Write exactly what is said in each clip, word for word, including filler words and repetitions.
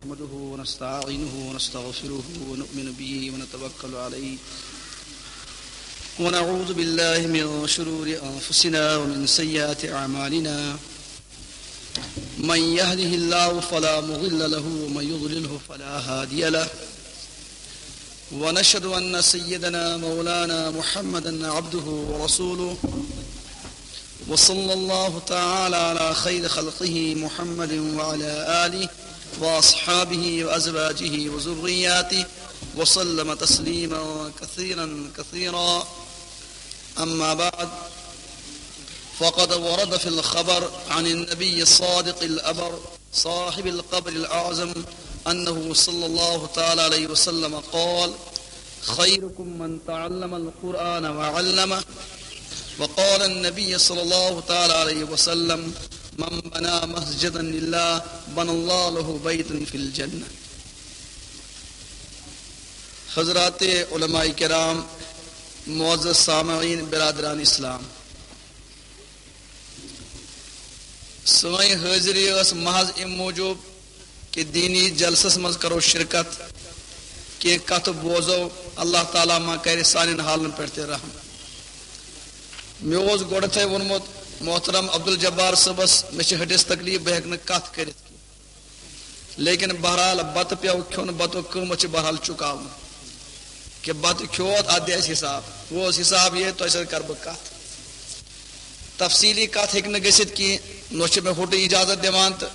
نحمده ونستعينه ونستغفره ونؤمن به ونتوكل عليه، ونعوذ بالله من شرور أنفسنا ومن سيئات أعمالنا. من يهده الله فلا مضل له ومن يضلله فلا هادي له. ونشهد أن سيدنا مولانا محمدا عبده ورسوله، وصلى الله تعالى على خير خلقه محمد وعلى آله وأصحابه وأزواجه وذرياته وسلم تسليما كثيرا كثيرا. أما بعد، فقد ورد في الخبر عن النبي الصادق الأبر صاحب القبر الأعظم أنه صلى الله تعالى عليه وسلم قال: خيركم من تعلم القرآن وعلمه. وقال النبي صلى الله تعالى عليه وسلم: من بنى مسجدا لله بنى الله له بيتا في الجنة. حضرات علماء کرام، معزز سامعین، برادران اسلام، سٲنۍ حٲضری ٲس محض اَمہِ موٗجوٗب کہِ دینی جلسس منٛز کرو شرکت، کینٛہہ کتھٕ بوزو، اللہ تعالیٰ ما کرِ سانٮ۪ن حالن پٮ۪ٹھ تہِ رحم۔ مےٚ اوس گۄڈٕتھے ووٚنمُت محترم عبدالجبار صٲبس، مےٚ چھِ ہٹِس تکلیف، بہٕ ہٮ۪کہٕ نہٕ کتھ کٔرِتھ کینٛہہ۔ لیکن بہرحال بتہٕ پیوٚو کھیوٚن، بتُک قۭمتھ چھُ بہرحال چُکاوُن۔ کہِ بتہٕ کھیوٚت، اتھ دِ اسہِ حساب۔ وۄنۍ اوس حساب یہِ، تۄہہِ سۭتۍ کرٕ بہٕ کتھ۔ تفصیٖلی کتھ ہیٚکہِ نہٕ گٔژھِتھ کینٛہہ، نہ چھِ مےٚ ہوٚٹہٕ اجازت دِوان تہٕ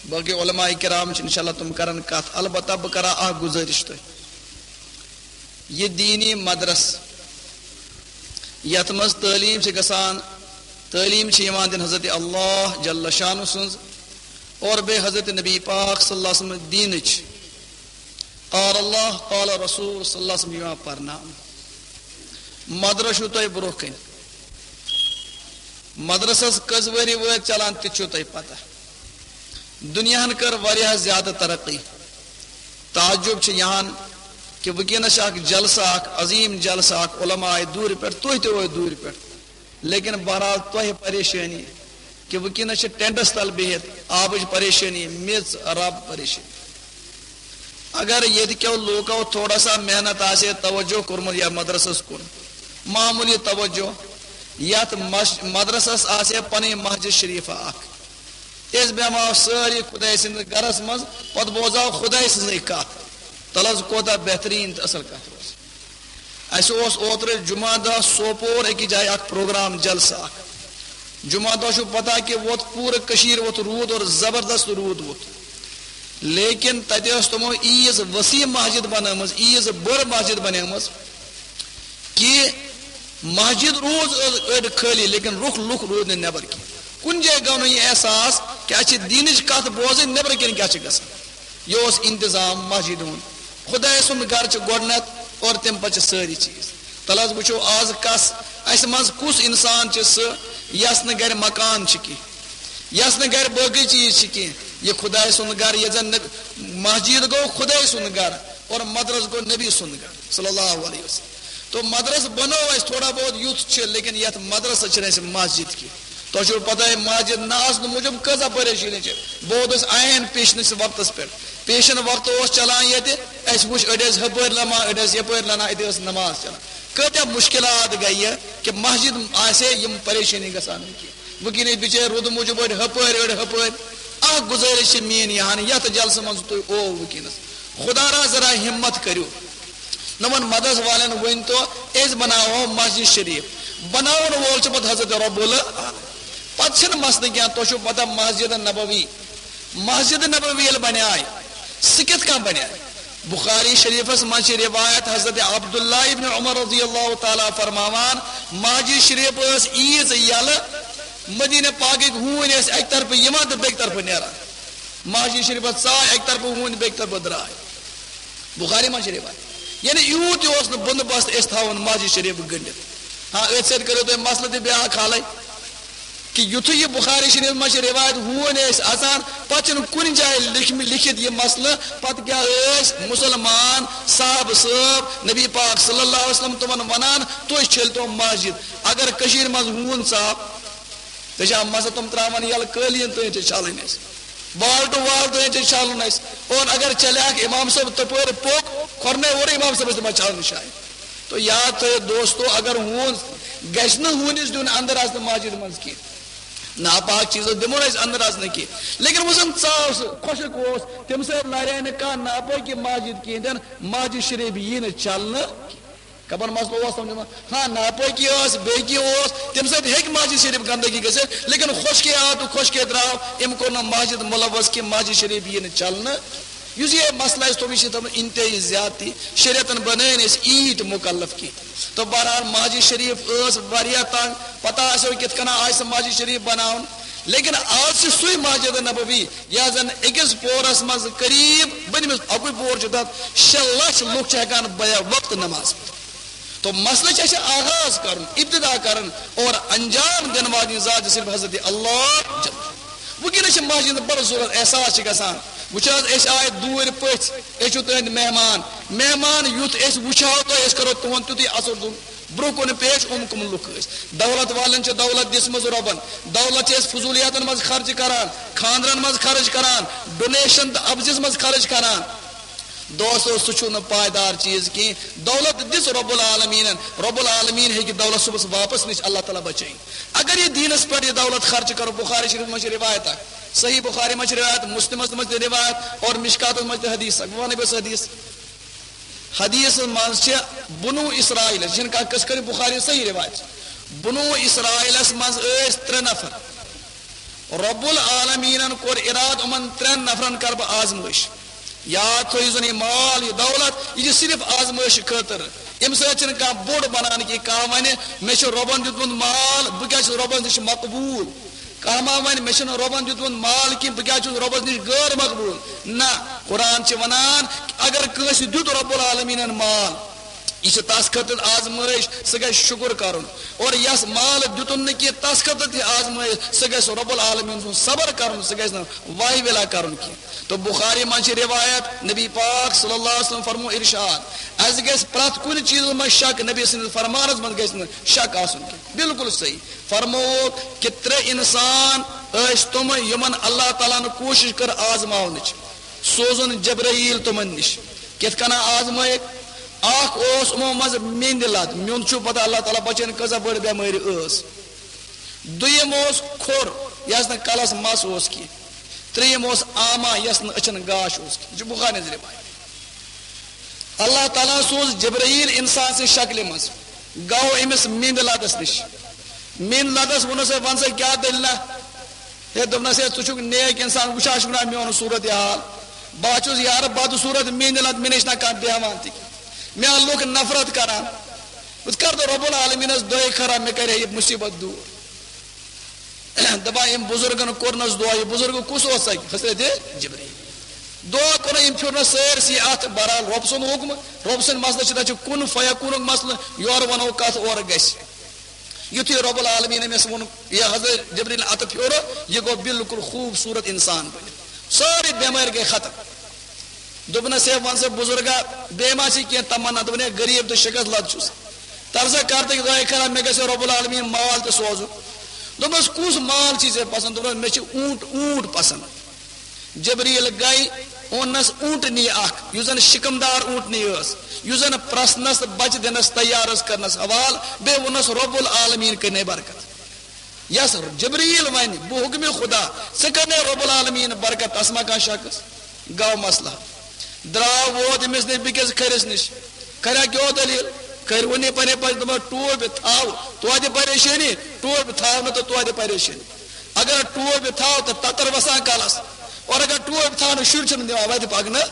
باقٕے علماء کرام چھِ، انشاءاللہ تِم کرن کتھ۔ البتہ بہٕ کرٕ اکھ گُزٲرِش تۄہہِ۔ یہِ دینی مدرس یتھ منٛز تعلیٖم چھِ گژھان، تعلیٖم چھِ یِوان دِنہٕ حضرت اللہ جل شانہ سٕنٛز اور بیٚیہِ حضرت نبی پاک صلی اللہ علیہ وسلم دینٕچ قال اللہ قال رسول صلی اللہ علیہ وسلم یِوان پرناونہٕ۔ مدرس چھُو تۄہہِ برونٛہہ کَنہِ۔ مدرسس کٔژ ؤری وٲتۍ چلان، تہِ چھُو تۄہہِ پتہ۔ دُنیاہن کٔر واریاہ زیادٕ ترقی۔ تعجب چھُ یِہان کہِ وٕنکیٚنس چھُ اکھ جلسہٕ، اکھ عظیٖم جلسہٕ، اکھ علماء آے دوٗرِ پٮ۪ٹھ، تُہۍ تہِ وٲتۍ دوٗرِ پٮ۪ٹھ۔ لیکن بہرحال تۄہہِ پریشٲنی کہِ وٕنکیٚنس چھِ ٹینٹس تل بِہِتھ، آبٕچ پریشٲنی، میٚژ، رب پریشٲنی۔ اگر ییٚتہِ کیو لوٗکو تھوڑا سا محنت آسہِ ہے، توجہ کوٚرمُت یتھ مدرسس کُن، معموٗلی توجہ، یتھ مش-، مدرسس آسہِ ہے پنٕنۍ مسجد شریفہ اکھ، أسۍ بیٚہمہٕ ہاو سٲری خداے سٕنٛدِس گرس منٛز، پتہٕ بوزہٕ ہاو خداے سٕنٛزٕے کتھ۔ تلہٕ حظ کوتاہ بہتریٖن تہٕ اصل کتھ روز۔ اسہِ اوس اوترٕ جمعہ دۄہ سوپور أکِس جایہِ اکھ پروگرام، جلسہٕ اکھ۔ جمعہ دۄہ چھُو پتہ کہِ ووت پوٗرٕ کٔشیٖر ووت روٗد اور زبردست روٗد ووت۔ لیکن تتہِ ٲس تِمو ییٖژ وسیع مسجد بنٲومٕژ، ییٖژ بٔڑ مسجد بنٲومٕژ کہِ مسجد روٗز أڑۍ خٲلی، لیکن رُخ لُکھ روٗدۍ نہٕ نٮ۪بر کینٛہہ۔ کُنہِ جایہِ گوٚو نہٕ یہِ احساس کہِ اسہِ چھِ دیٖنٕچ کتھ بوزٕنۍ، نٮ۪برٕ کِنۍ کیٛاہ چھِ گژھان۔ یہِ اوس انتظام مسجد ہُنٛد۔ خداے سُنٛد گرٕ چھُ گۄڈٕنٮ۪تھ اور تمہِ پتہٕ چھِ سٲری چیٖز۔ تلہٕ حظ وٕچھو آز کس، اسہِ منٛز کُس انسان چھُ سُہ یس نہٕ گرِ مکان چھُ کینٛہہ، یس نہٕ گرِ باقٕے چیٖز چھِ کینٛہہ۔ یہِ خداے سُنٛد گرٕ، ییٚتہِ زن نہٕ مسجد گوٚو خداے سُنٛد گرٕ اور مدرس گوٚو نبی سُنٛد گرٕ صلی اللہ علیہ وسلم۔ تو مدرس بنوو اسہِ تھوڑا بہت یُتھ چھُ، لیکن یتھ مدرسس چھِنہٕ اسہِ مسجد کینٛہہ۔ تۄہہِ چھو پتہ مسجد نہ آسنہٕ موٗجوٗب کۭژاہ پریشٲنی چھِ۔ بہٕ ووتُس عین پیشنس وقتس پٮ۪ٹھ۔ پیشن وقت اوس چلان ییٚتہِ، اسہِ وٕچھ أڑۍ ٲسۍ ہپٲرۍ لمان، أڑۍ ٲسۍ یپٲرۍ لمان، أتی ٲس نماز چلان۔ کۭتیاہ مشکلات گٔیہِ کہِ مسجد آسہِ ہے، یِم پریشٲنی گژھان نہٕ کینٛہہ۔ وٕنکیٚن ٲسۍ بِچٲرۍ روٗدٕ موٗجوٗب أڑۍ ہپٲرۍ، أڑۍ ہپٲرۍ۔ اکھ گُزٲرِش چھِ میٲنۍ یِہان، یتھ جلسہٕ منٛز تُہۍ او وٕنکیٚنس، خدا را ذرا ہمت کٔرِو۔ نمن مدرس والٮ۪ن ؤنۍ تو، أسۍ بناوو مسجد شریف۔ بناون وول چھُ پتہٕ حضرت رب العالمین۔ پتہٕ چھِنہٕ مسلہٕ کینٛہہ، تۄہہِ چھُو پتہ مسجد نبوی، مسجد نبوی ییٚلہِ بنیٛاے، سُہ کِتھ کٔنۍ بنیٛاے؟ بخاری شریفس منٛز چھِ روایت حضرت عبداللہ ابن عمر رضی اللہ تعالیٰ فرماوان، مسجد شریف ٲس ییٖژ یلہٕ، مدینہ پاکٕکۍ ہوٗنۍ ٲسۍ اکہِ طرفہٕ یِوان تہٕ بیٚکہِ طرفہٕ نیران۔ مسجد شریفس ژاے اکہِ طرفہٕ ہوٗنۍ، بیٚکہِ طرفہٕ درٛاے۔ بخاری منٛز چھِ روایت۔ یعنی یوٗت تہِ اوس نہٕ بندوبست أسۍ تھاوون مسجد شریف گٔنڈِتھ۔ ہاں، أتھۍ سۭتۍ کٔرِو تُہۍ مسلہٕ تہِ بیٛاکھ حالٕے، کہِ یُتھُے یہِ بخاری شریف منٛز چھِ روایت، ہوٗنۍ ٲسۍ اژان، پتہٕ چھِنہٕ کُنہِ جایہِ لیکھمِ-، لیکھِتھ یہِ مسلہٕ، پتہٕ کیٛاہ ٲسۍ مُسلمان صحابہٕ صٲب نبی پاک صلی اللہ علیہ وسلم تِمن ونان، تُہۍ چھٔلۍ تو مسجد۔ اگر کٔشیٖرِ منٛز ہوٗن ژاو، تہٕ چھا مسا تِم ترٛاوان یَلہٕ قٲلیٖن تہٕ چھِ چھَلٕنۍ اَسہِ؟ وال ٹو وال تہِ چھُ چھلُن اَسہِ۔ اور اگر چلے اکھ امام صٲب تپٲرۍ پوٚک، کھۄرنے ووٚرُے امام صٲبس تہِ ما چھلُن شاید؟ تو یاد تھٲیِو دوستو، اگر ہوٗن گژھِ نہٕ ہوٗنِس دیُن اندر اژنہٕ مسجد منٛز کینٛہہ، ناپاک چیٖزس دِمو نہٕ أسۍ اندر اژنہٕ کینٛہہ۔ لیکن وۄنۍ زن ژاو سُہ، خۄشک اوس، تٔمۍ سۭتۍ لارے نہٕ کانٛہہ ناپٲکی مسجد کِہیٖنۍ تہِ نہٕ، مسجد شریف یی نہٕ چھلنہٕ۔ کمن مسلہٕ اوس سمجھُن؟ ہاں، ناپٲکی ٲس، بیٚیہِ کینٛہہ اوس، تَمہِ سۭتۍ ہیٚکہِ مسجد شریف گندگی گٔژھِتھ، لیکن خۄشکے آو تہٕ خۄشکے درٛاو، أمۍ کوٚر نہٕ مسجد ملوث کینٛہہ، مسجد شریف یی نہٕ چلنہٕ۔ یُس یہِ مسلہٕ اَسہِ تھوٚو، یہِ چھِ تھٲومٕژ انتہٲیی زیادتی، شریعتن بنٲے نہٕ أسۍ عیٖد مُکلف کینٛہہ۔ تہٕ بہرحال مسجد شریف ٲس واریاہ تنگ، پتہ آسیو کِتھ کٔنۍ آسہِ سۄ مسجد شریف بناوُن، لیکن آز چھِ سُے مسجد نبوی یۄس زن أکِس پورس منٛز قریب، بٔنمِس اَکُے پور چھُ تتھ، شےٚ لچھ لُکھ چھِ ہٮ۪کان بیک وقت نماز پٔرِتھ۔ تو مسلہٕ چھُ اَسہِ آغاز کرُن، ابتدا کرُن اور انجام دِنہٕ واجنہِ ذات چھِ صرف حضرت اللہ جل۔ وٕنکیٚنس چھِ مسجد بڑٕ ضروٗرت، احساس چھِ گژھان۔ وٕچھ حظ، أسۍ آے دوٗرِ پٔژھۍ، أسۍ چھِو تُہٕنٛدۍ مہمان۔ مہمان یُتھ أسۍ وٕچھو تۄہہِ، أسۍ کرو تُہُنٛد تیُتھُے اثر دُن۔ برونٛہہ کُن پیش، یِم کٕم لُکھ ٲسۍ؟ دولت والٮ۪ن چھِ دولت دِژمٕژ رۄبن، دولت چھِ أسۍ فضوٗلیاتن منٛز خرچ کران، خانٛدرن منٛز خرچ کران، ڈونیشن تہٕ عوضس منٛز خرچ کران۔ دوستو، سُہ چھُنہٕ پائیدار چیٖز کینٛہہ۔ دولت دِژ رب العالمیٖنن، رب العالمیٖن ہیٚکہِ دولت صُبحس واپس نِتھ، اللہ تعالیٰ بچٲیِن۔ اگر یہِ دیٖنس پٮ۪ٹھ یہِ دولت خرچ کرو، بخاری شریف منٛز چھِ روایت اکھ، صحیح بخاری منٛز چھِ روایت، مسلمس منٛز تہِ روایت اور مشکاتس منٛز تہِ حدیث اکھ۔ بہٕ ونہٕ أمِس حدیث۔ حدیثس منٛز چھِ بنو اسرائیل، یہِ چھِنہٕ کانٛہہ قصہٕ کٔرِتھ، بخاری صحیح روایت چھِ۔ بنو اسرائیلس منٛز ٲسۍ ترٛےٚ نفر۔ رب العالمیٖنن کوٚر ارادٕ، یِمن ترٛٮ۪ن نفرن کرٕ بہٕ آزمٲیش۔ یاد تھٲیِو زن، یہِ مال، یہِ دولت، یہِ چھِ صرف آزمٲیش خٲطرٕ۔ اَمہِ سۭتۍ چھِنہٕ کانٛہہ بوٚڑ بنان کینٛہہ۔ کانٛہہ ونہِ، مےٚ چھُ رۄبن دیُتمُت مال، بہٕ کیٛاہ چھُس رۄبس نِش مقبوٗل؟ کانٛہہ ما ونہِ، مےٚ چھُنہٕ رۄبن دیُتمُت مال کینٛہہ، بہٕ کیٛاہ چھُس رۄبس نِش غٲر مقبوٗل؟ نہ، قرآن چھِ ونان، اگر کٲنٛسہِ دیُت رب العالمیٖنن مال، یہِ چھِ تس خٲطرٕ آزمٲیش، سُہ گژھِ شُکُر کرُن۔ اور یس مال دیُتُن نہٕ کینٛہہ، تس خٲطرٕ تہِ آزمٲیش، سُہ گژھِ رب العالمیٖن سُنٛد صبر کرُن، سُہ گژھِ نہٕ واہہِ ویلا کرُن کینٛہہ۔ تو بخاری منٛز چھِ روایت، نبی پاک صلی اللہ علیہ وسلم فرمو ارشاد، اسہِ گژھِ پرٛٮ۪تھ کُنہِ چیٖزس منٛز شک، نبی سٕنٛدِس فرمانس منٛز گژھِ نہٕ شک آسُن کینٛہہ۔ بالکل صحیح۔ فرمووُکھ کہِ ترٛےٚ انسان ٲسۍ تِم، یِمن اللہ تعالیٰ ہن کوٗشش کٔر آزماونٕچ، سوزُن جبرائیل تِمن نِش۔ کِتھ کٔنۍ آزمٲیِکھ؟ اکھ اوس یِمو منٛز میٚنٛدِ لد، میوٚنٛد چھُو پتہ اللہ تعالیٰ بچٲیِن کۭژاہ بٔڑ بٮ۪مٲرۍ ٲس۔ دوٚیِم اوس کھوٚر، یَس نہٕ کلس مس اوس کینٛہہ۔ ترٛیٚیِم اوس آما، یَس نہٕ أچھن گاش اوس کینٛہہ۔ یہِ چھُ بخاری ہٕنٛز روایت۔ اللہ تعالیٰ سوز جبرائیل انسان سٕنٛزِ شکلہِ منٛز، گوٚو أمِس میٚنٛدِ لدس نِش۔ میٚنٛدِ لدس ووٚنُس، "ہے، وَن سا کیٛاہ دٔلیٖلہ؟" ہے، دوٚپنَس، "ہے، ژٕ چھُکھ نیک انسان، وٕچھان چھُکھ نا میون صوٗرت حال؟ بہٕ ہا چھُس یارٕ بدصوٗرت، میٚنٛدِ لد، مےٚ نِش چھِنہ کانٛہہ بیٚہوان تہِ۔ مےٚ ہا لُکھ نفرت کران۔ بہٕ کَرٕ تہٕ رۄب العالمیٖنَس دۄے خٲرا، مےٚ کَرِ ہے یہِ مُصیٖبت دوٗر۔" دَپان أمۍ بُزرگَن کوٚرنَس دُعا۔ یہِ بُزرگ کُس اوس؟ حضرت جبرائیل۔ دُعا کوٚر أمۍ، پھیُرنَس سٲرسٕے اَتھ۔ بہرحال، رۄب سُنٛد حُکم، رۄب سٕنٛدِ مسلہٕ چھِ، تَتہِ چھُ کُن فیکوٗنُک مسلہٕ، یورٕ وَنو کَتھ، اورٕ گژھِ۔ یُتھُے رب العالمیٖن أمِس ووٚن، یہِ حضرت جبرائیل اَتھٕ پھیوٚر، یہِ گوٚو بالکل خوٗبصوٗرت اِنسان بٔنِتھ۔ سٲرٕے بٮ۪مٲرۍ گٔے ختم۔ دوٚپنَس، "ہے، وَن سا بُزرگا، بیٚیہِ ما چھِ کینٛہہ تمنا؟" دوٚپُن، "ہے، غریٖب تہٕ شِکَس لد چھُس۔ تَرسا کر تہٕ دۄیہِ خٲرا، مےٚ گژھِ رب العالمیٖن مال تہِ سوزُن۔" دوٚپنَس، "کُس مال چھِ ژےٚ پسنٛد؟" دوٚپنَس، "مےٚ چھِ اوٗنٛٹ، اوٗنٛٹ پسنٛد۔" جبرائیل گٔے، اوٚننَس اوٗنٛٹنی اکھ، یُس زَن شِکمدار اوٗنٛٹنی ٲس، یُس زَن پرٛسنَس تہٕ بچہِ دِنَس تیار ٲس کرنَس حوالہٕ، بیٚیہِ ووٚننَس، "رب العالمیٖن کٔرنَے برکت۔" یس جبرائیل ونہِ، "بہٕ حکمِ خدا، ژٕ کر نے رب العالمین برکت، تس ما کانٛہہ شخص؟" گوٚو مسلہٕ۔ درٛاو، ووت أمِس نِش بیٚکِس کھرِس نِش۔ کھریا کیٛاہ دٔلیٖل؟ کھرِ ووٚن یہِ پننہِ پننہِ، دوٚپُن، "ٹوپہِ تھاو، توتہِ پریشٲنی، ٹوپہِ تھاو نہٕ تہٕ توتہِ پریشٲنی۔ اگر ٹوپہِ تھاو تہٕ تتر وسان کلس، اور اگر ٹوپہِ تھاو نہٕ، شُرۍ چھِنہٕ دِوان وتہِ پکنہٕ۔"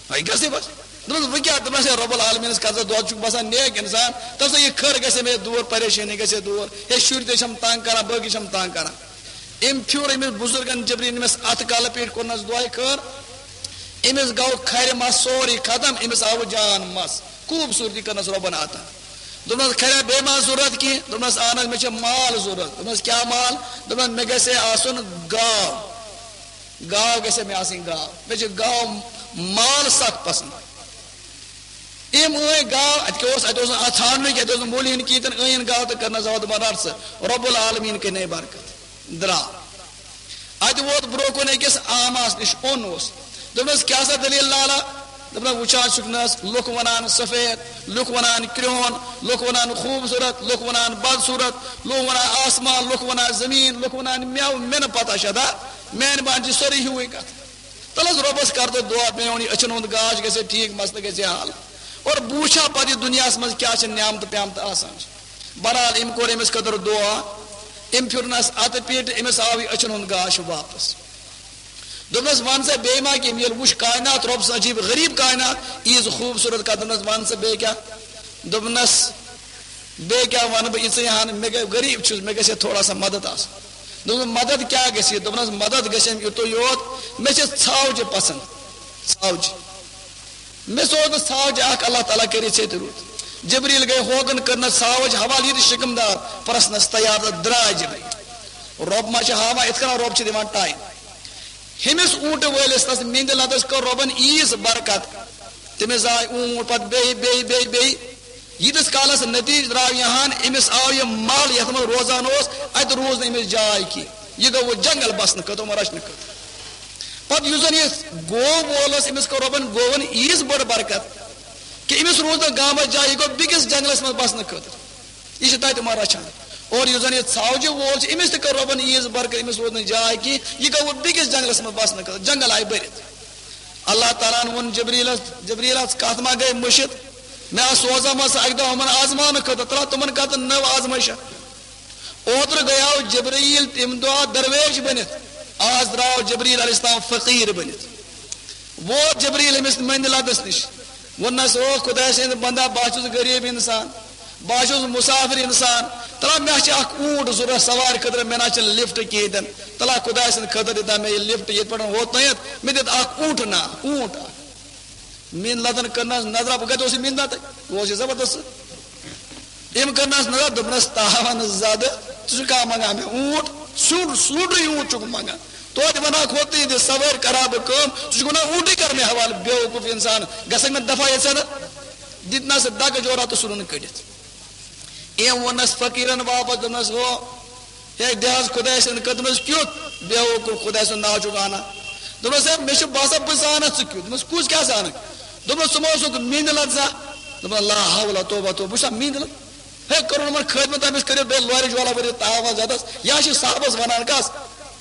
وۄنۍ گژھِ بس۔ دوٚپمَس، "وۄنۍ کیٛاہ؟" دوٚپمَس، "ہے، رب العالمینَس کَتھ، ژٕ دۄد چھُکھ باسان نیک اِنسان، تَس یہِ کھٔر گژھِ مےٚ دوٗر، پریشٲنی گژھِ دوٗر، ہے، شُرۍ تہِ چھَم تنٛگ کران، باقٕے چھَم تنٛگ کران۔" أمۍ پھیُر أمِس بُزرگَن جبرائیل أمِس اَتھ کَلہٕ پیٖٹھۍ، کوٚرنَس دۄیہِ خٲر۔ أمِس گوٚو کھرِ مَس سورُے ختم، أمِس آوُ جان مَس، خوٗبصوٗرتی کٔرنَس رۄبَن عطا۔ دوٚپنَس، "کھریا بیٚیہِ ما ضوٚرَتھ کینٛہہ؟" دوٚپنَس، "اَہَن حظ، مےٚ چھِ مال ضوٚرَتھ۔" دوٚپنَس، "کیٛاہ مال؟" دوٚپنَس، "مےٚ گژھِ ہے آسُن گاو۔" گاو گژھِ مےٚ آسٕنۍ گاو۔ مےٚ چھِ گاو مال سخ پسنٛد۔ أمۍ أنۍ گاو، اَتہِ کیٛاہ اوس؟ اَتہِ اوس نہٕ اَتھ ژھانٛڈنُے کینٛہہ، اَتہِ اوس نہٕ مٔلۍ ہن کینٛہہ، تہٕ أنۍ أنۍ گاو تہٕ کٔرنَس زبر، دوٚپُن، "رَٹ سا، رب العالمین کٔرنَے برکت۔" درٛاو۔ اتہِ ووت برونٛہہ کُن أکِس آماہس نِش، اوٚن اوس۔ دوٚپنس، "کیٛاہ سا دٔلیٖل لالا؟" دوٚپنس، "وٕچھان چھُکھ نہ حظ، لُکھ ونان سفید، لُکھ ونان کرٛہُن، لُکھ ونان خوٗبصوٗرت، لُکھ ونان بدصوٗرت، لُکھ ونان آسمان، لُکھ ونان زٔمیٖن، لُکھ ونان مٮ۪وٕ، مےٚ نہٕ پتہ چھےٚ دا، میانہِ باندِ چھِ سٲری ہیوٗے کتھ۔ تلہٕ حظ رۄبس کر تہٕ دُعا، میون یہِ أچھن ہُنٛد گاش گژھِ ٹھیٖک، مسلہٕ گژھِ حل۔ اور بہٕ وٕچھِ ہا پتہٕ یہِ دُنیاہس منٛز کیٛاہ چھِ نعمتہٕ پیمتہٕ آسان چھِ۔" بہرحال، أمۍ کوٚر أمِس خٲطرٕ دُعا، أمۍ پھِرنس اتہٕ پیٹہِ، أمِس آو یہِ أچھن ہُنٛد گاش واپس۔ دوٚپنس، "وَن سا بیٚیہِ ما کینٛہہ؟" ییٚلہِ وُچھ کائنات، رۄب سٕنٛز عجیٖب غریٖب کائنات، ییٖژ خوٗبصوٗرت کتھ۔ دوٚپنس، "وَن سا بیٚیہِ کیٛاہ؟" دوٚپنس، "بیٚیہِ کیٛاہ وَنہٕ بہٕ، یِژٕے ہن، مےٚ گٔے، غریٖب چھُس، مےٚ گژھِ ہے تھوڑا سا مدد آسُن۔" دوٚپنس، "مدد کیٛاہ گژھِ یہِ؟" دوٚپنس، "مدد گژھِ أمۍ یُتُے یوت، مےٚ چھِ ژھاوجہِ پسنٛد، ژھاوجہِ۔" مےٚ سوز نہٕ ژھاوجہِ اکھ، اللہ تعالیٰ کٔرِتھ ژےٚ تہِ رُت۔ جبریٖل گٔے ہوکُن، کٔرنَس ژھاوجہِ حوالہٕ، یہِ تہِ شِکم دار، پرٛژھنَس تیار تہٕ درٛاے جبریٖل۔ رۄب ما چھِ ہاوان، یِتھ کٔنۍ رۄب چھِ دِوان ٹایم۔ ہُمِس اوٗنٹہٕ وٲلِس، تَس مِندِ لَتَس کٔر رۄبَن ییٖژ برکت۔ تٔمِس زاے اوٗنٹ، پَتہٕ بیٚیہِ، بیٚیہِ، بیٚیہِ، بیٚیہِ۔ ییٖتِس کالَس نتیٖجہٕ درٛاو یہِ ہَن، أمِس آو یہِ مَل یَتھ منٛز روزان اوس، اَتہِ روٗز نہٕ أمِس جاے کینٛہہ۔ یہِ گوٚو وۄنۍ جنگل بسنہٕ خٲطرٕ، یِمَن رچھنہٕ خٲطرٕ۔ پتہٕ یُس زن یہِ گوٚو وول اوس، أمِس کٔر رۄبن گوٚون ییٖژ بٔڑ برکت کہِ أمِس روٗز نہٕ گامس جاے، یہِ گوٚو بیٚکِس جنگلس منٛز بسنہٕ خٲطرٕ۔ یہِ چھِ تتہِ یِمن رچھان۔ اور یُس زن یہِ ژھاوجہِ وول چھُ، أمِس تہِ کٔر رۄبن ییٖژ برکت، أمِس روٗز نہٕ جاے کینٛہہ، یہِ گوٚو بیٚکِس جنگلس منٛز بسنہٕ خٲطرٕ، جنگل آیہِ بٔرِتھ۔ اللہ تعالیٰ ہن ووٚن جبریٖلس، "جبریٖل، ژٕ کتھ ما گٔے مٔشِتھ؟ مےٚ ہا سوزا ما ژٕ اکہِ دۄہ یِمن آزماونہٕ خٲطرٕ، ترٛا تِمن خٲطرٕ نٔو آزمٲیشہ۔" اوترٕ گٔیاو جبرائیل تَمہِ دۄہ درویش بٔنِتھ، آز درٛاو جبرائیل علیہ السلام فقیٖر بٔنِتھ۔ ووت جبرائیل أمِس مٔنٛدِ لدس نِش، ووٚننس، "او خۄداے سٕنٛدِ بندا، بہٕ ہا چھُس غریٖب اِنسان، بہٕ ہا چھُس مُسافِر اِنسان، تَلہ مےٚ چھِ اکھ اوٗنٹ ضروٗرت سوارِ خٲطرٕ، مےٚ نہ چھِنہٕ لفٹ کِہیٖنۍ تہِ نہٕ، تَلہ خۄداے سٕنٛدِ خٲطرٕ دِتا مےٚ یہِ لفٹ ییٚتہِ پٮ۪ٹھ ووت تام، مےٚ دِتھ اکھ اوٗنٹ نا، اوٗنٹ اکھ۔" مِنٛد لدن کٔرنس نظرا، بہٕ کتہِ اوس یہِ مِنٛد لدن؟ بہٕ اوس یہِ زبردست۔ أمۍ کٔرنس نظر، دوٚپنس، "تاوان زدٕ، ژٕ چھُکھ کانٛہہ منٛگان مےٚ اوٗنٹ؟ سوٗنٛڈ، سوٗنٛڈٕے اوٗنٹ چھُکھ منٛگان۔ توتہِ ونہٕ ہا کھوت تہٕ یہِ دِ سوٲرۍ کرٕ ہا بہٕ کٲم، ژٕ چھُکھ ونان اوٗنٹٕے کر مےٚ حوالہٕ، بیوقوٗف انسان، گژھکھ مےٚ دفعہ ییٚتہِ سٮ۪نہٕ؟" دِتنس دکہٕ جورا تہٕ ژھُنُن کٔڑِتھ۔ أمۍ ووٚننس فقیٖرن واپس، دوٚپنس، "ہو، ہے، دِ حظ خۄداے سٕنٛدِ خٲطرٕ، دوٚپنس، کیُتھ بیوقوٗف خۄداے سُنٛد ناو چھُکھ انان؟" دوٚپنس، "ہے، مےٚ چھُ باسان، بہٕ زانتھ ژٕ کیُتھ۔" دوٚپنس، "کُس کیٛاہ زانکھ؟" دوٚپنس، "ژٕ ما اوسُکھ مِنٛدِ لد زانٛہہ؟" دوٚپنس، "لا حول توبہ توبہ، بہٕ چھُسا مِنٛدِ لد؟ ہے، کوٚرُن یِمن خٲدمت، أمِس کٔرِو بیٚیہِ لورِ جولا ؤرِتھ تاوان زدس۔ یا چھِ صاحبس ونان کس؟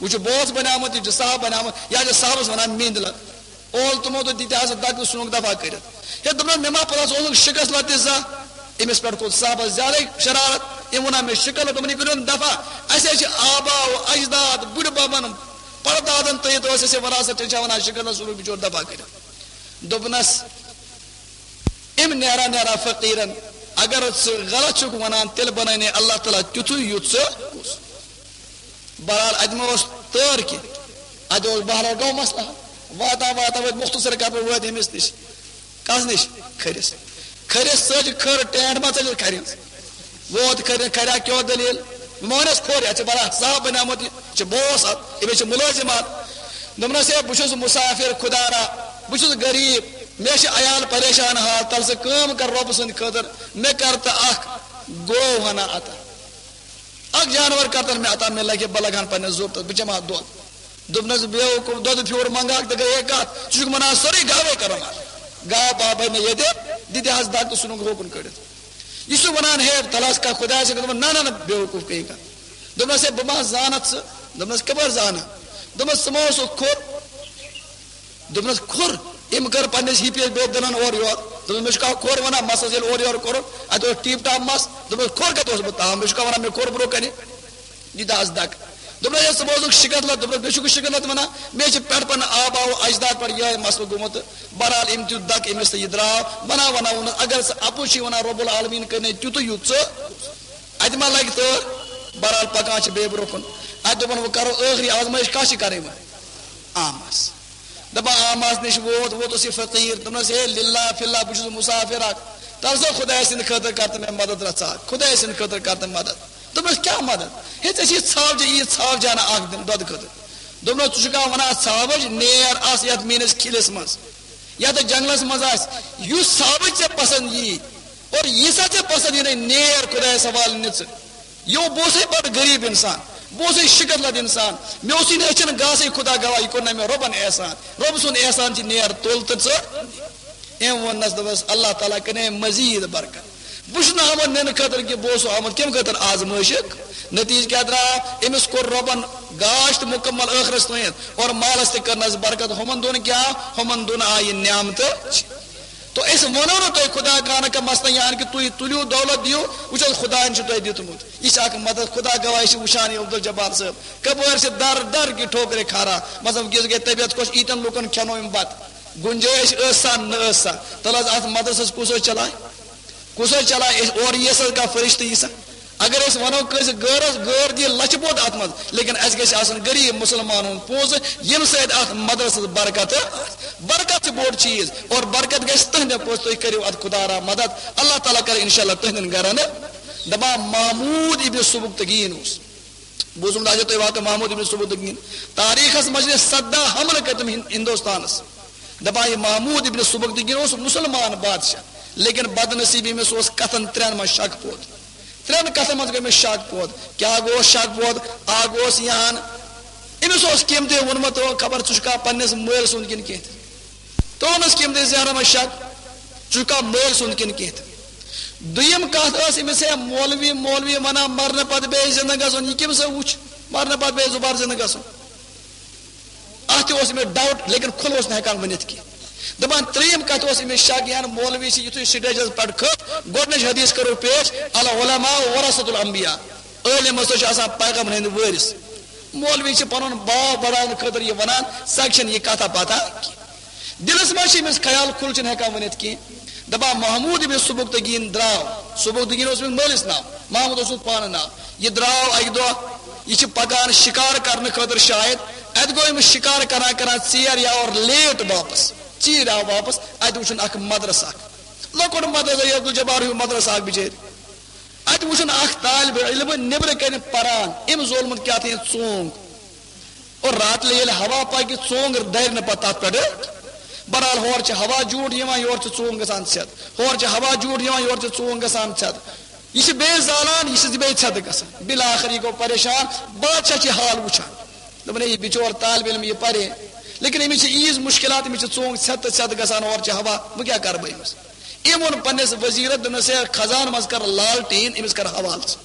وۄنۍ چھُ بوس بنیومُت، یہِ چھُ صاحب بنیومُت، یا چھِ صاحبس ونان مِنٛدِ لد۔" اول تِمو دوٚپ، دِتہِ ہسا دکہٕ، ژھُنُکھ دفعہ کٔرِتھ۔ ہے، دوٚپنس، "مےٚ ما پتہ، ژٕ اوسُکھ شِکس لد تہِ زانٛہہ؟" أمِس پٮ۪ٹھ کھوٚت صاحبس زیادَے شرارت۔ أمۍ ووٚن، "مےٚ شِکس لد۔" دوٚپُن، "یہِ کٔرِو دفعہ، اَسہِ حظ چھِ آبا و اجداد، بُڈِ ببن، پردادن تہٕ یہِ اوس اَسہِ وراثت، تیٚلہِ چھا ونان شِکس لد، ژھُنُکھ بِچور دفعہ کٔرِتھ؟" دوٚپنس، أمۍ نیران نیران فقیٖرن، "اگر ژٕ غلط چھُکھ ونان، تیٚلہِ بنٲے نے اللہ تعالیٰ تیُتھُے یُتھ ژٕ کُس۔" بہرحال، اتہِ ما اوس تٲر کینٛہہ، اتہِ اوس بہرحال گوٚو مسلہٕ حل۔ واتان واتان وٲتۍ مختصر کتھ پٲٹھۍ وٲتۍ أمِس نِش۔ کس نِش؟ کھٔرِس۔ کھٔرِس ژٔج کھٔر، ٹینٹ ما ژٔجِس کھرِ ہٕنٛز؟ ووت کھرِ، کھرِ ہا کیٛاہ دٔلیٖل؟ مٲنِس کھوٚر، یتھ چھِ بڑا صاحب بنیومُت، یہِ چھِ بوس اتھ، أمِس چھِ مُلٲزِم اتھ۔ دوٚپنس، "ہے، بہٕ چھُس مُسافِر خۄدا را، بہٕ چھُس غریٖب، مےٚ چھِ عیال پریشان حال، تل ژٕ کٲم کر رۄبہٕ سٕنٛدِ خٲطرٕ، مےٚ کر تہٕ اکھ گٲو ہنا عطا۔" اکھ جانور کرتن مےٚ عطا، مےٚ لگہِ، بہٕ لگہٕ ہن پننِس ضروٗرتس، بہٕ چمہٕ ہا دۄد۔ دوٚپنس، "بیوقوٗف، دۄدٕ پھیوٗر منگہٕ ہاکھ تہٕ گٔیے کتھ، ژٕ چھُکھ ونان سٲرٕے گاوے کرو مر۔" گاو پاو بنہِ ییٚتہِ، دِتہِ حظ دگ تہٕ ژھُنُن ہوکُن کٔڑِتھ۔ یہِ چھُ ونان، "ہے، تلہٕ حظ کانٛہہ خۄدایس سۭتۍ۔" دوٚپُن، "نہ، نہ، نہ، بیوقوٗف، کٕہٕنۍ کتھ۔" دوٚپنس، "ہے، بہٕ ما زانتھ ژٕ؟" دوٚپنس، "کپٲرۍ زانہٕ؟" دوٚپنس، "ژٕ ما اوسُکھ کھوٚر؟" دوٚپنس، "کھوٚر؟" أمۍ کٔر پننِس ہِپِس بیٚیہِ دٕنن اورٕ یورٕ۔ دوٚپنس، "مےٚ چھُ کانٛہہ کھوٚر ونان، مسس ییٚلہِ اورٕ یورٕ کوٚرُن، اتہِ اوس ٹیٖپ ٹاپ مس۔" دوٚپنس، "کھوٚر کتہِ اوس بہٕ تام؟ مےٚ چھُ کانٛہہ ونان، مےٚ کھوٚر برونٛہہ کنہِ، یہِ دِ حظ دگ۔" دوٚپنس، "ہے، ژٕ بوزُکھ شِکت لد؟" دوٚپنس، "مےٚ چھُکھ شِکت لد ونان؟ مےٚ چھِ پٮ۪ٹھ پننہِ آبا و اجداد پٮ۪ٹھ یِہوٚے مسلہٕ گوٚمُت۔" تہٕ بہرحال، أمۍ دیُت دگ أمِس تہٕ یہِ درٛاو۔ ونان ونان ووٚنُس، "اگر ژٕ اپُز چھُے ونان، رب العالمین کٔرۍ نے تیُتُے یُتھ ژٕ، اتہِ ما لگہِ تٲر؟" بہرحال، پکان چھِ بیٚیہِ برونٛہہ کُن۔ اتہِ دوٚپُن، "وۄنۍ کرو ٲخری آزمٲیش، کس چھِ کرٕنۍ وۄنۍ؟" آمس۔ دپان، آمس نِش ووت، ووتُس یہِ فقیٖر، دوٚپنس، "ہے، للہ فی اللہ، بہٕ چھُس مُسافِر اکھ، تل سا خۄداے سٕنٛدِ خٲطرٕ کر تہٕ مےٚ مدد رژھا، خۄداے سٕنٛدِ خٲطرٕ کر تہٕ مدد۔" دوٚپنس، "کیٛاہ مدد؟ ہے، ژےٚ چھِ ژھاوجہِ، یہِ ژھاوجہِ ہنا اکھ دِنۍ دۄدٕ خٲطرٕ۔" دوٚپنس، "ژٕ چھُکھا ونان ژھاوج؟ نیر آس یتھ میٲنِس کھِلِس منٛز، یتھ جنگلس منٛز آسہِ، یُس ژھاوج ژےٚ پسند یی، اور یہِ سا ژےٚ پسند یی نہٕ، نیر خۄدایس حوالہٕ نِژٕ۔" یہِ بہٕ اوسُے بڑٕ غریٖب انسان، بہٕ اوسُے شِکَتھ لَد اِنسان، مےٚ اوسُے نہٕ أچھَن گاسٕے، خدا گواہ، یہِ کوٚر نہ مےٚ رۄبَن احسان۔ رۄب سُنٛد احسان چھِ، نیر تُل تہٕ ژٕ۔ أمۍ ووٚننَس، دوٚپنَس، اللہ تعالیٰ کَرِ مزیٖد برکت۔ بہٕ چھُس نہٕ آمُت نِنہٕ خٲطرٕ کینٛہہ، بہٕ اوسُس آمُت کَمہِ خٲطرٕ؟ آزمٲیشہِ۔ نتیٖجہٕ کیٛاہ درٛاو؟ أمِس کوٚر رۄبَن گاش تہٕ مُکمل ٲخرَس تام، اور مالَس تہِ کٔرنَس برکت۔ ہُمَن دۄن کیٛاہ؟ ہُمَن دۄن آیہِ نعمتہٕ۔ تو أسۍ وَنو نہٕ تۄہہِ خدا کانہہ کانٛہہ مثلاً یہِ ہن کہِ تُہۍ تُلِو دولت دِیِو، وٕچھ حظ خدایَن چھُ تۄہہِ دیُتمُت۔ یہِ چھِ اکھ مدد، خدا گواہ، أسۍ چھِ وٕچھان یہِ عبدالجبار صٲب کَپٲرۍ چھِ در در کہِ ٹھوکرِ کھاران۔ مثلاً وٕنکیٚس گٔے طبیعت خۄش، ییٖتٮ۪ن لُکَن کھٮ۪نو أمۍ بَتہٕ۔ گُنجٲیِش ٲس سا نہ ٲس سا؟ تَلہٕ حظ اَتھ مدرسَس کُس حظ چلایہِ؟ کُس حظ چلایہِ؟ أسۍ اورٕ یِیَس حظ کانٛہہ فرشتہٕ یی سا؟ اگر أسۍ وَنو کٲنٛسہِ غٲرَس، غٲر دِیہِ لَچھِ بوٚد اَتھ منٛز، لیکن اَسہِ گژھِ آسُن غریٖب مُسلمانَن ہُنٛد پونٛسہٕ، ییٚمہِ سۭتۍ اَتھ مدرسَس برکت، برکت چھِ بوٚڑ چیٖز، اور برکت گژھِ تُہنٛدِ پونٛسہٕ، تُہۍ کٔرِو اَتھ خدا را مدد، اللہ تعالیٰ کَرِ اِنشاء اللہ تُہنٛدٮ۪ن گَرَن۔ دَپان محمود ابن سبکتگیٖن اوس، بوٗزمُت آسیو تۄہہِ واقعہٕ محمود ابن سبکتگیٖن، تاریٖخَس منٛز چھِ سَداہ حملہٕ کٔرۍ تِم ہِن-، ہِندوستانَس۔ دَپان یہِ محمود ابن سبکتگیٖن اوس مُسلمان بادشاہ، لیکن بدنصیٖبی أمِس اوس کَتھَن ترٛٮ۪ن منٛز شک پوت۔ ترٛٮ۪ن کَتھَن منٛز گوٚو أمِس شک پوت۔ کیٛاہ گوٚو شک پوت؟ اَکھ گوٚو یہِ ہن، أمِس اوس کٔمۍ تہِ ووٚنمُت، خبر ژٕ چھُکھا پنٛنِس مٲلۍ سُنٛد کِنہٕ کینٛہہ تہِ؟ ترٛوونَس کٔمۍ تہِ ذہنَس منٛز شک، ژٕ چھُکھا مٲلۍ سُنٛد کِنہٕ کینٛہہ تہِ؟ دوٚیِم کَتھ ٲس أمِس، ہے مولوی، مولوی وَنان مَرنہٕ پَتہٕ بیٚیہِ زِندٕ گژھُن، یہِ کٔمِس وٕچھ مَرنہٕ پَتہٕ بیٚیہِ زُبار زِندٕ گژھُن؟ اَتھ تہِ اوس أمِس doubt، لیکن کھُلہٕ اوس نہٕ ہٮ۪کان ؤنِتھ کینٛہہ۔ دَپان ترٛیٚیِم کَتھ اوس أمِس شک، یہِ ہن مولوی چھِ یُتھُے stageس پٮ۪ٹھ کھٔژ، گۄڈٕنِچ حدیث کَرو پیش، العلماء ورثۃ الانبیاء، عٲلِم ہسا چھِ آسان پیغمبرن ہٕنٛدۍ وٲرِث۔ مولوی چھِ پَنُن باو بَڑاونہٕ خٲطرٕ یہِ وَنان، ژَکہِ چھَنہٕ یہِ کَتھا پَتہ کینٛہہ۔ دِلَس منٛز چھِ أمِس خیال، کھُل چھِنہٕ ہٮ۪کان ؤنِتھ کینٛہہ۔ دَپان محمود ابن سبکتگیٖن درٛاو، سبکتگیٖن اوس أمِس مٲلِس ناو، محمود اوس أمِس پانہٕ ناو۔ یہِ درٛاو اَکہِ دۄہ، یہِ چھِ پَکان شِکار کَرنہٕ خٲطرٕ شاید۔ اَتہِ گوٚو أمِس شِکار کَران کَران ژیر یا اور late واپَس، ژیٖرۍ آو واپَس۔ اَتہِ وٕچھُن اَکھ مدرسہٕ اَکھ، لۄکُٹ مدرسہٕ، یہِ عبدالجبار ہیوٗ مدرسہٕ اَکھ بِچٲرۍ۔ اَتہِ وٕچھُن اَکھ طالبِ علم نیٚبرٕ کَنہِ پَران، أمۍ زولمُت کیٛاہ تام ژونٛگ۔ اور راتلہِ ییٚلہِ ہوا پَکہِ، ژونٛگ دَرِ نہٕ پَتہٕ تَتھ پٮ۪ٹھٕ۔ بہرحال، ہورٕ چھِ ہوا جوٗٹھ یِوان، یورٕ چھِ ژونٛگ گژھان ژھٮ۪تھ۔ ہورٕ چھِ ہوا جوٗٹھ یِوان، یورٕ چھِ ژونٛگ گژھان ژھٮ۪تھ۔ یہِ چھِ بیٚیہِ زالان، یہِ چھِ بیٚیہِ ژھٮ۪تہٕ گژھان۔ بالآخر یہِ گوٚو پریشان، بادشاہ چھِ یہِ حال وٕچھان۔ دوٚپُن، ہے، یہِ بِچور طالبِ علم، یہِ پَرِ، لیکن أمِس چھِ ییٖژ مُشکلات، أمِس چھِ ژونٛگ ژھٮ۪تہٕ تہٕ ژھٮ۪تہٕ گژھان، اورٕ چھِ ہوا، بہٕ کیٛاہ کَرٕ بہٕ أمِس؟ أمۍ ووٚن پنٛنِس وزیٖرَس، دوٚپنَس، ہے، خزانہٕ منٛز کَر لالٹیٖن، أمِس کَر حوالہٕ ژٕ۔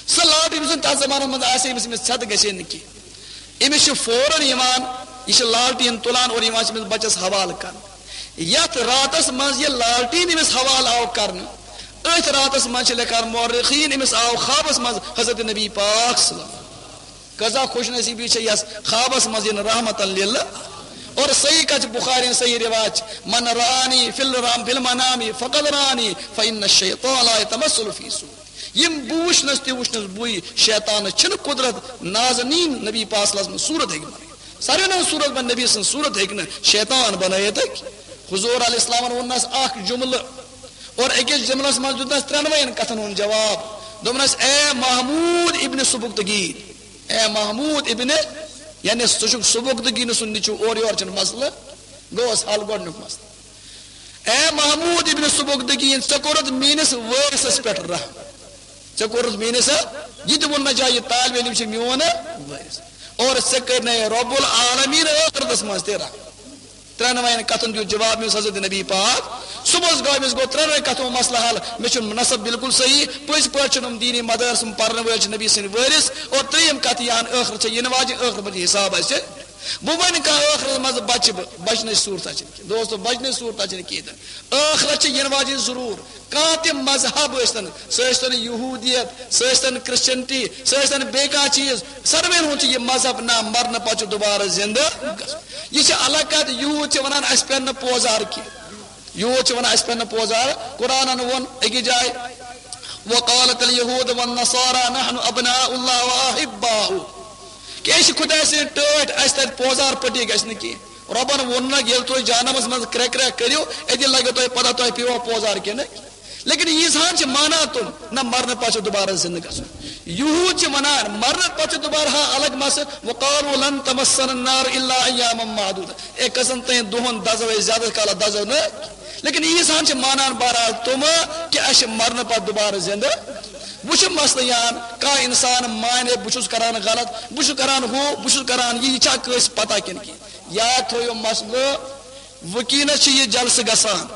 سۄ لالٹیٖن یُس زَن تَتھ زمانَس منٛز آسہِ ہے، أمِس، أمِس ژھٮ۪تہٕ گژھِ ہے نہٕ کینٛہہ۔ أمِس چھِ فوراً یِوان، یہِ چھِ لالٹیٖن تُلان اور یِوان چھِ أمِس بَچَس حوالہٕ کَرنہٕ۔ یَتھ راتَس منٛز یہِ لالٹیٖن أمِس حوالہٕ آو کَرنہٕ، أتھۍ راتَس منٛز چھِ لیکھان مورخیٖن، أمِس آو خوابَس منٛز حضرت نبی پاک صلی اللہ علیہ وسلم۔ کۭژاہ خوش نصیٖبی چھےٚ یَس خوابَس منٛز یِن رحمتاً لِلعالمین۔ اور صحیح کَتھ چھِ، بُخاری صحیح رِوایت چھِ، "من رآنی فی الرام، فی المنام فقد رآنی، فإن الشیطان لا یتمثل فی صورتی۔" یِم بہٕ وٕچھنَس تہِ وٕچھنَس بٕے، شیطانَس چھِنہٕ قدرت نازنیٖن نبی پاک صلی اللہ علیہ وسلم صوٗرت ہیٚکہِ بَنٲوِتھ۔ ساروی نہٕ صوٗرت بَنہِ نبی سٕنٛز صوٗرت ہیٚکہِ نہٕ شیطان بَنٲوِتھ۔ حضور علیہ السلامَن ووٚننَس اَکھ جُملہٕ اور أکِس جُملَس منٛز دیُتنَس ترٛٮ۪نوَیَن کَتھَن ہُنٛد جواب۔ دوٚپنَس، اے محمود ابن سبکتگین، اے محمود ابن، یعنی سُہ چھُ سبکتگین سُنٛد نیٚچوٗ، اورٕ یورٕ چھُنہٕ مسلہٕ، گوٚوس حل گۄڈٕنیُک مسلہٕ۔ اے محمود ابن سبکتگین، ژےٚ کوٚرُتھ میٲنِس وٲرِثس پٮ۪ٹھ رحم۔ ژےٚ کوٚرُتھ میٲنِس، یہِ تہِ ووٚن مےٚ جایہِ، یہِ طالب علم چھُ میون وٲرِث۔ اور ژےٚ کٔرۍ نَے رب العالمین ٲخرتس منٛز تہِ رحم۔ ترٛٮ۪نوَیَن کَتھَن دیُت جواب أمِس حضرت نبی پاک۔ صُبحَس گوٚو أمِس گوٚو ترٛٮ۪نوَے کَتھو مسلہٕ حل۔ مےٚ چھُ نسب بالکل صحیح، پٔزۍ پٲٹھۍ چھُنہٕ یِم دیٖنی مدارسَن پَرنہٕ وٲلۍ چھِ نبی سٕنٛدۍ وٲرِث۔ اور ترٛیٚیِم کَتھ، یہِ ہن ٲخرت چھےٚ یِنہٕ واجِنۍ، ٲخرت منٛز چھِ حساب اَسہِ۔ بہٕ وَنہٕ کانٛہہ ٲخرت منٛز بَچہِ بہٕ، بَچنٕچ صوٗرتہ چھِنہٕ کینٛہہ۔ دوستو، بَچنٕچ صوٗرتہ چھِنہٕ کینٛہہ تہِ۔ ٲخرت چھِ یِنہٕ واجِنۍ ضروٗر۔ کانٛہہ تہِ مذہب ٲسۍتَن، سُہ ٲسۍتَن یہوٗدیت، سُہ ٲسۍتَن کرسچنٹی، سُہ ٲسۍتَن بیٚیہِ کانٛہہ چیٖز، ساروِیَن ہُنٛد چھُ یہِ مذہب، نہ، مرنہٕ پتہٕ چھُ دُبارٕ زِندٕ گژھُن۔ یہِ چھِ الگ کتھ، یہوٗد چھِ ونان، "اسہِ پٮ۪ن نہٕ پوزار کینٛہہ۔" یہوٗد چھِ ونان، "اسہِ پٮ۪ن نہٕ پوزار۔" قرآنن ووٚن أکِس جایہِ، "وقالت اليهود والنصارى نحن أبناء الله وأحباؤه۔" کہِ أسۍ چھِ خۄداے سٕنٛدۍ ٹٲٹھۍ، اسہِ تتہِ پوزار پٹی گژھِ نہٕ کینٛہہ۔ رۄبن ووٚن نہ، ییٚلہِ تُہۍ جہنمس منٛز کرٛٮ۪کھ کرٛٮ۪کھ کٔرِو، أتی لگیو تۄہہِ پتہ تۄہہِ پیٚیوا پوزار کِنہٕ۔ لیکن عیسیٰ ہن چھِ مانان تِم، نہ، مرنہٕ پتہٕ چھُ دُبارٕ زِندٕ گژھُن۔ یہوٗد چھِ ونان، مرنہٕ پتہٕ چھُ دُبارٕ، ہا، الگ مسلہٕ۔ وقالوا لن تمسنا النار الا ایاما معدودة۔ اے، کٔژن تام دۄہن دزو أسۍ، زیادٕ کالس دزو نہٕ۔ لیکن عیسیٰ ہن چھِ مانان بہرحال تِم کہِ اَسہِ چھِ مرنہٕ پتہٕ دُبارٕ زِندٕ۔ وۄنۍ چھُ مسلہٕ یِوان، کانٛہہ انسان مانہِ، بہٕ چھُس کران غلط، بہٕ چھُس کران ہُہ، بہٕ چھُس کران یہِ، یہِ چھا کٲنٛسہِ پتہ کِنہٕ کینٛہہ؟ یاد تھٲیِو مسلہٕ، وٕنکیٚنس چھِ یہِ جلسہٕ گژھان،